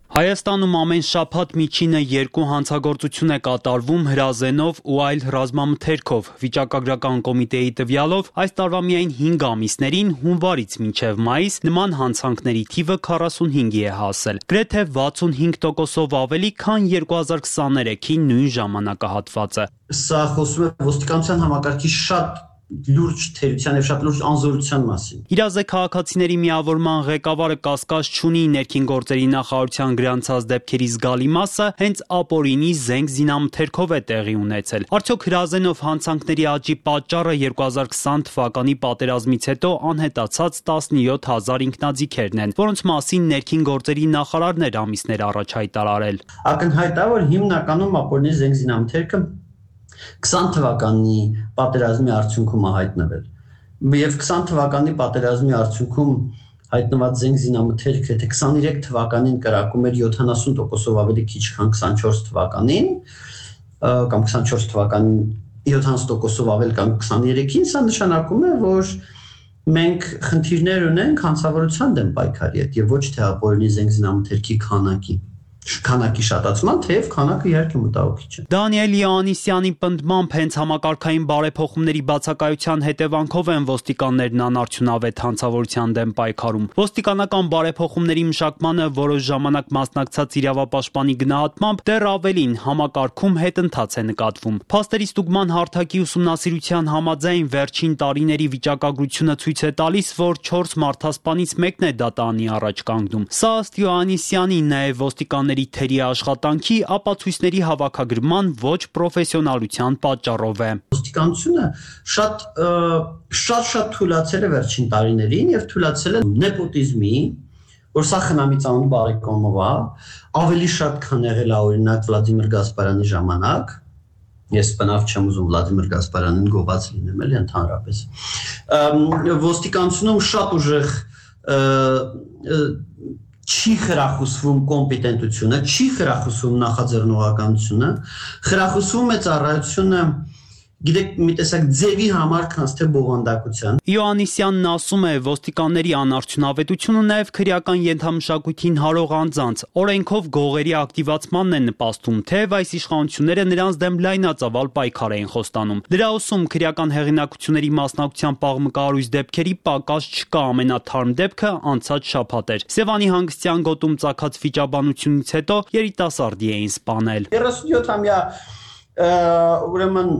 Հայաստանում ամեն շաբաթ միջինը երկու հանցագործություն է կատարվում հրազենով ու այլ ռազմամթերքով։ Վիճակագրական կոմիտեի տվյալով այս տարվա միայն հինգ ամիսներին հունվարից մինչև մայիս նման հանցանքների թիվը քառասունհինգի է հասել։ Գրեթե վաթսունհինգ տոկոսով ավելի, քան երկու հազար քսաներեքի նույն ժամանակահատվածը։ Սա խոսում է ոստիկանության համակարգի շատ լուրջ թերության եւ շատ լուրջ անզորության մասին։ Իրազե քաղաքացիների միավորման ղեկավարը կասկած չունի ներքին գործերի նախարարության գրանցած դեպքերի զգալի մասը հենց ապօրինի զենք զինամթերքով է տեղի ունեցել։ Արդյոք հրազենով հանցանքների աճի պատճառը երկու հազար քսան թվականի պատերազմից հետո անհետացած տասնյոթ հազար ինքնաձիգերն են, որոնց մասին ներքին գործերի նախարարն էր ամիսներ առաջ հայտարարել։ Ակնհայտ է, որ հիմնականում ապօրինի զենք զինամթերքը քսան թվականի պատերազմի արդյունքում է հայտնվել։ Եվ քսան թվականի պատերազմի արդյունքում հայտնված զենք զինամթերքը, եթե քսաներեք թվականին կրակում էր յոթանասուն տոկոսով ավելի քիչ, քան քսանչորս թվականին, կամ քսանչորս թվականին յոթանասուն տոկոսով ավել, կամ քսաներեքին, սա նշանակում է, որ մենք խնդիրներ ունենք հանցավորության դեմ պայքարի հետ եւ ոչ թե ապօրինի զենքզինամթերքի քանակի քանակի շատացման, թեև քանակը իհարկե մտահոգիչ է։ Դանիել Յոհաննիսյանի պնդմամբ հենց համակարգային բարեփոխումների բացակայության հետևանքով են ոստիկաններն անարդյունավետ հանցավորության դեմ պայքարում։ Ոստիկանական բարեփոխումների մշակմանը որոշ ժամանակ մասնակցած իրավապաշտպանի գնահատմամբ դեռ ավելին համակարգում հետընթաց է նկատվում։ Փաստերի ստուգման հարթակի ուսումնասիրության համաձայն վերջին տարիների վիճակագրությունը ցույց է տալիս, որ չորս մարդասպանից մեկն է դատանի առաջ կանգնում։ Սա ըստ Յոհաննիսյանի նաև ոստիկանների թերի աշխատանքի ապացույցների հավաքագրման ոչ պրոֆեսիոնալության պատճառով է։ Ոստիկանությունը շատ շատ շատ թույլացել է վերջին տարիներին եւ թույլացել է նեպոտիզմի, որ սա խնամից անուն բարեկամով է, ավելի շատ քան եղել է օրինակ Վլադիմիր Գասպարյանի ժամանակ։ Ես բնավ չեմ ուզում Վլադիմիր Գասպարյանին գոված լինեմ, էլի ընդհանրապես։ Ոստիկանությունում շատ ուժեղ չի խրախուսվում կոմպետենտությունը, չի խրախուսվում նախաձեռնողականությունը, խրախուսվում է ծառայությունը գիտեք մի տեսակ ձևի համար քանց թե բովանդակության։ Յոհաննիսյանն ասում է, ոստիկանների անարդյունավետությունը նաև քրեական ենթամշակույթին հարող անձանց օրենքով գողերի ակտիվացմանն է նպաստում, թեև այս իշխանությունները նրանց դեմ լայնածավալ պայքար էին խոստանում։ Դրա ուսում քրեական հեղինակությունների մասնակցության պաղմկարույց դեպքերի պակաս չկա, ամենաթարմ դեպքը անցած շաբաթ էր։ Սևանի հանգստյան գոտում ծագած վիճաբանությունից հետո երիտասարդի էին սպանել։ երեսունյոթամյա ուրեմն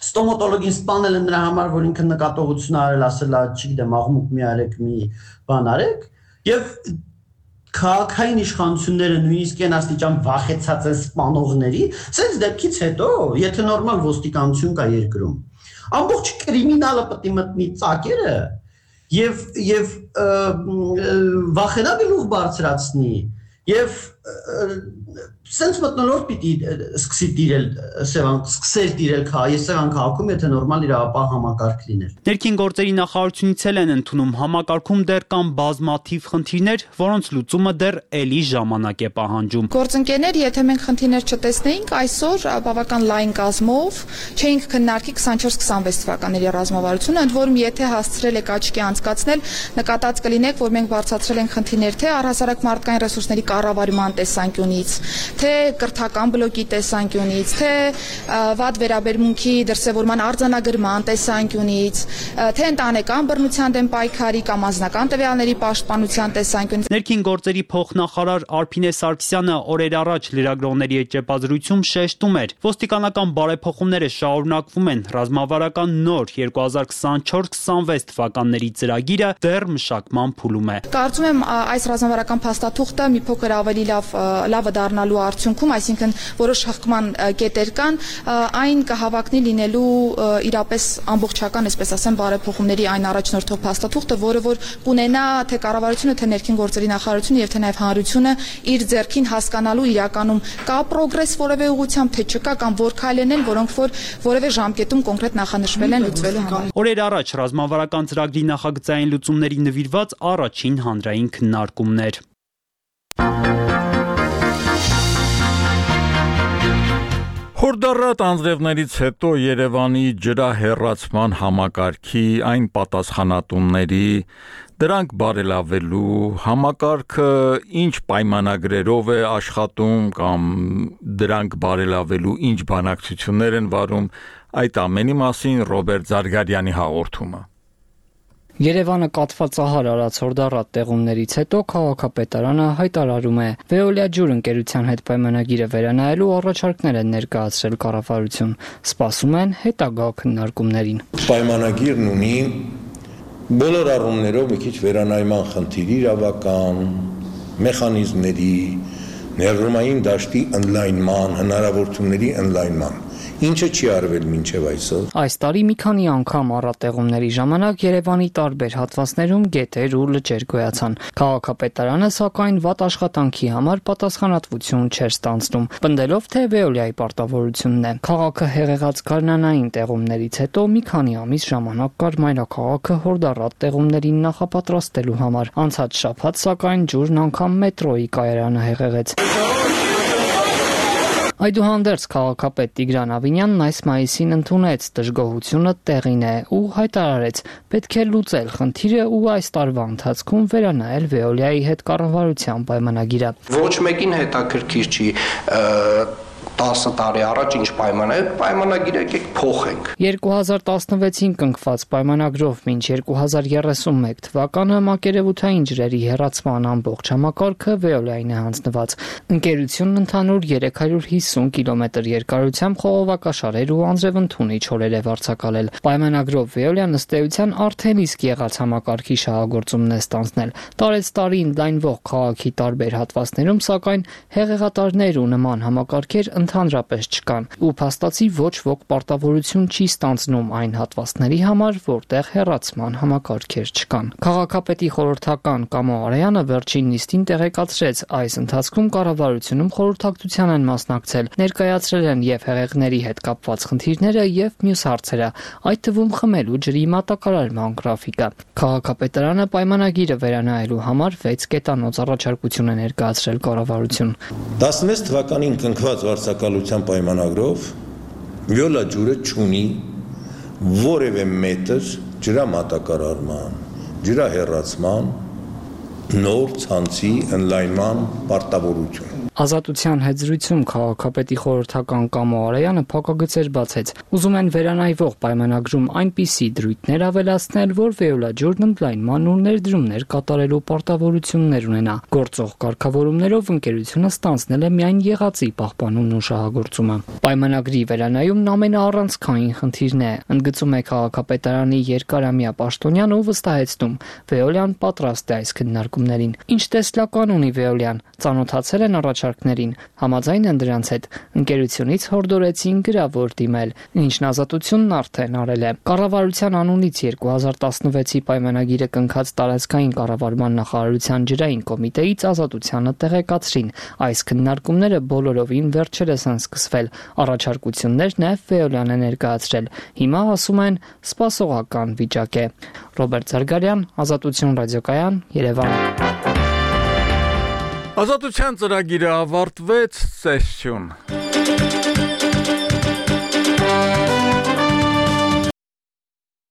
ստոմատոլոգին սպանել են նրա համար, որ ինքը նկատողություն արել, ասել է, չգիտեմ, աղմուկ մի արեք, մի բան արեք, եւ քաղաքային իշխանությունները նույնիսկ այն աստիճան վախեցած են սպանողների, սենց դեպքից հետո, եթե նորմալ ոստիկանություն կա երկրում, ամբողջ կրիմինալը պետք է մտնի ծակերը եւ եւ վախենա գլուխ բարձրացնի եւ սենց մտնոլորտ պիտի սկսի տիրել Սևան, սկսել տիրել Սևան քաղաքում, եթե նորմալ իրավապահ համակարգ լիներ։ Ներքին գործերի նախարարությունից էլ են ընդունում համակարգում դեռ կան բազմաթիվ խնդիրներ, որոնց լուծումը դեռ էլի ժամանակ է պահանջում։ Գործընկերներ, եթե մենք խնդիրներ չտեսնեինք, այսօր բավական լայն կազմով չէինք քննարկի քսանչորս քսանվեց թվականների ռազմավարությունը, ընդ որում եթե հասցրել եք աչքի անցկացնել, նկատած կլինեք, որ մենք բարձրացրել ենք խնդիրներ թե առհասարակ մարդկային ռեսուրսների կառավարման տեսանկյունից, թե կրթական բլոկի տեսանկյունից, թե վատ վերաբերմունքի դրսևորման արձանագրման տեսանկյունից, թե ընտանեկան բռնության դեմ պայքարի կամ անձնական տվյալների պաշտպանության տեսանկյունից։ Ներքին գործերի փոխնախարար Արփինե Սարգսյանը օրեր առաջ լրագրողների հետ ճեպազրույցում շեշտում էր, ոստիկանական բարեփոխումները շարունակվում են, ռազմավարական նոր երկու հազար քսանչորս քսանվեց թվականների ծրագիրը դեռ մշակման փուլում է։ Կարծում եմ այս ռազմավարական փաստաթուղթը մի փոքր ավելի լավ լավը դառնալու արդյունքում, այսինքն որոշ հղկման կետեր կան, այն կհավակնի լինելու իրապես ամբողջական, այսպես ասեմ, բարեփոխումների այն առաջնորդող փաստաթուղթը, որը որ կունենա թե կառավարությունը, թե ներքին գործերի նախարարությունը եւ թե նաեւ հանրությունը իր ձեռքին հասկանալու իրականում կա պրոգրես որևէ ուղղությամբ, թե չկա կամ որ քայլերն են, որոնք որ որևէ ժամկետում կոնկրետ նախանշվել են լուծվելու համար։ Օրեր առաջ ռազմավարական ծրագրի նախագծային լուծումների նվիրված առաջին հանրային քննարկումներ։ Հորդառատ անձրևներից հետո Երևանի ջրահեռացման համակարգի այն պատասխանատունների դրանք բարելավելու համակարգը ինչ պայմանագրերով է աշխատում կամ դրանք բարելավելու ինչ բանակցություններ են վարում, այդ ամենի մասին Ռոբերտ Զարգարյանի հաղորդումը։ Երևանը կաթվածահար արած հորդառատ տեղումներից հետո քաղաքապետարանը հայտարարում է Veolia ջուր ընկերության հետ պայմանագիրը վերանայելու առաջարկներ են ներկայացրել կառավարություն, սպասում են հետագա քննարկումներին։ Պայմանագիրն ունի բոլոր առումներով մի քիչ վերանայման խնդիրի իրավական, մեխանիզմների, ներդրումային դաշտի ընդլայնման, հնարավորությունների ընդլայնման։ Ինչը չի արվել մինչև այսօր։ Այս տարի մի քանի անգամ առատեղումների ժամանակ Երևանի տարբեր հատվածներում գետեր ու լճեր գոյացան։ Քաղաքապետարանը սակայն վատ աշխատանքի համար պատասխանատվություն չէր ստանձնում, պնդելով թե Veolia-ի պարտավորությունն է։ Քաղաքը հեղեղած գարնանային տեղումներից հետո մի քանի ամիս ժամանակ կար մայրաքաղաքը հորդառատ տեղումներին նախապատրաստելու համար։ Անցած շաբաթ սակայն ջուրն անգամ մետրոյի կայարանը հեղեղեց։ Այդուհանդերձ քաղաքապետ Տիգրան Ավինյանն այս մայիսին ընդունեց դժգոհությունը տեղին է ու հայտարարեց, պետք է լուծել խնդիրը ու այս տարվա ընթացքում վերանայել Veolia-ի հետ կառավարության պայմանագիրը։ Ոչ մեկին հետաքրքիր չի տասը տարի առաջ ինչ պայման է, պայմանագիրը եկեք փոխենք։ երկու հազար տասնվեցին կնքված պայմանագրով մինչ երկու հազար երեսունմեկ թվականը մակերևութային ջրերի հեռացման ամբողջ համակարգը Veolia-ին է հանձնված։ Ընկերությունն ընդհանուր երեք հարյուր հիսուն կիլոմետր երկարությամբ խողովակաշարեր ու անձրևընդունիչ հորեր է վարձակալել։ Պայմանագրով Veolia-ն ըստ էության արդեն իսկ եղած համակարգի շահագործումն է ստանձնել։ Տարեց տարի ընդլայնվող քաղաքի տարբեր հատվածներում, սակայն հեղեղատարներ ու նման համակարգեր ընդհանրապես չկան ու փաստացի ոչ ոք պարտավորություն չի ստանձնում այն հատվածների համար, որտեղ հեռացման համակարգեր չկան։ Քաղաքապետի խորհրդական Կամո Արայանը վերջին նիստին տեղեկացրեց, այս ընթացքում կառավարությունում խորհրդակցության են մասնակցել, ներկայացրել են եւ հեղեղների հետ կապված խնդիրները եւ մյուս հարցերը, այդ թվում խմելու ջրի մատակարարման գրաֆիկը։ Քաղաքապետարանը պայմանագիրը վերանայելու համար վեց կետանոց առաջարկություն է ներկայացրել կառավարություն։ տասնվեց թվականին կնքված վարձակալության պայմանագրով Veolia ջուրը չունի որևէ մետր ջրամատակարարման, ջրահեռացման, նոր ցանցի ընդլայնման պարտավորություն։ Ազատության հետ զրույցում քաղաքապետի խորհրդական Կամո Արայանը փակագծեր բացեց։ Ուզում են վերանայվող պայմանագրում այնպիսի դրույթներ ավելացնել, որ Veolia ջուրն ընդլայնման ու ներդրումներ կատարելու պարտավորություններ ունենա։ Գործող կարգավորումներով ընկերությունը ստանձնել է միայն եղածի պահպանումն ու շահագործումը։ Պայմանագրի վերանայումն ամենաառանցքային խնդիրն է, ընդգծում է քաղաքապետարանի երկարամյա պաշտոնյան ու վստահեցնում, Veolia-ն պատրաստ է այս քննարկումներին։ Ինչ տեսլական ունի Veolia-ն, ծանոթացել են առաջարկներին, համաձայն են դրանց հետ, ընկերությունից հորդորեցին գրավոր դիմել, ինչն ազատությունն արդեն արել է։ Կառավարության անունից երկու հազար տասնվեցի պայմանագիրը կնքած տարածքային կառավարման նախարարության ջրային կոմիտեից ազատությանը տեղեկացրին։ Այս քննարկումները բոլորովին վերջերս են սկսվել։ Առաջարկություններ նաև Veolia-ն է ներկայացրել։ Հիմա ասում են սպասողական վիճակ է։ Ռոբերտ Զարգարյան, Ազատություն ռադիոկայան, Երևան։ Ազատության ծրագիրը ավարտվեց, սեսյուն։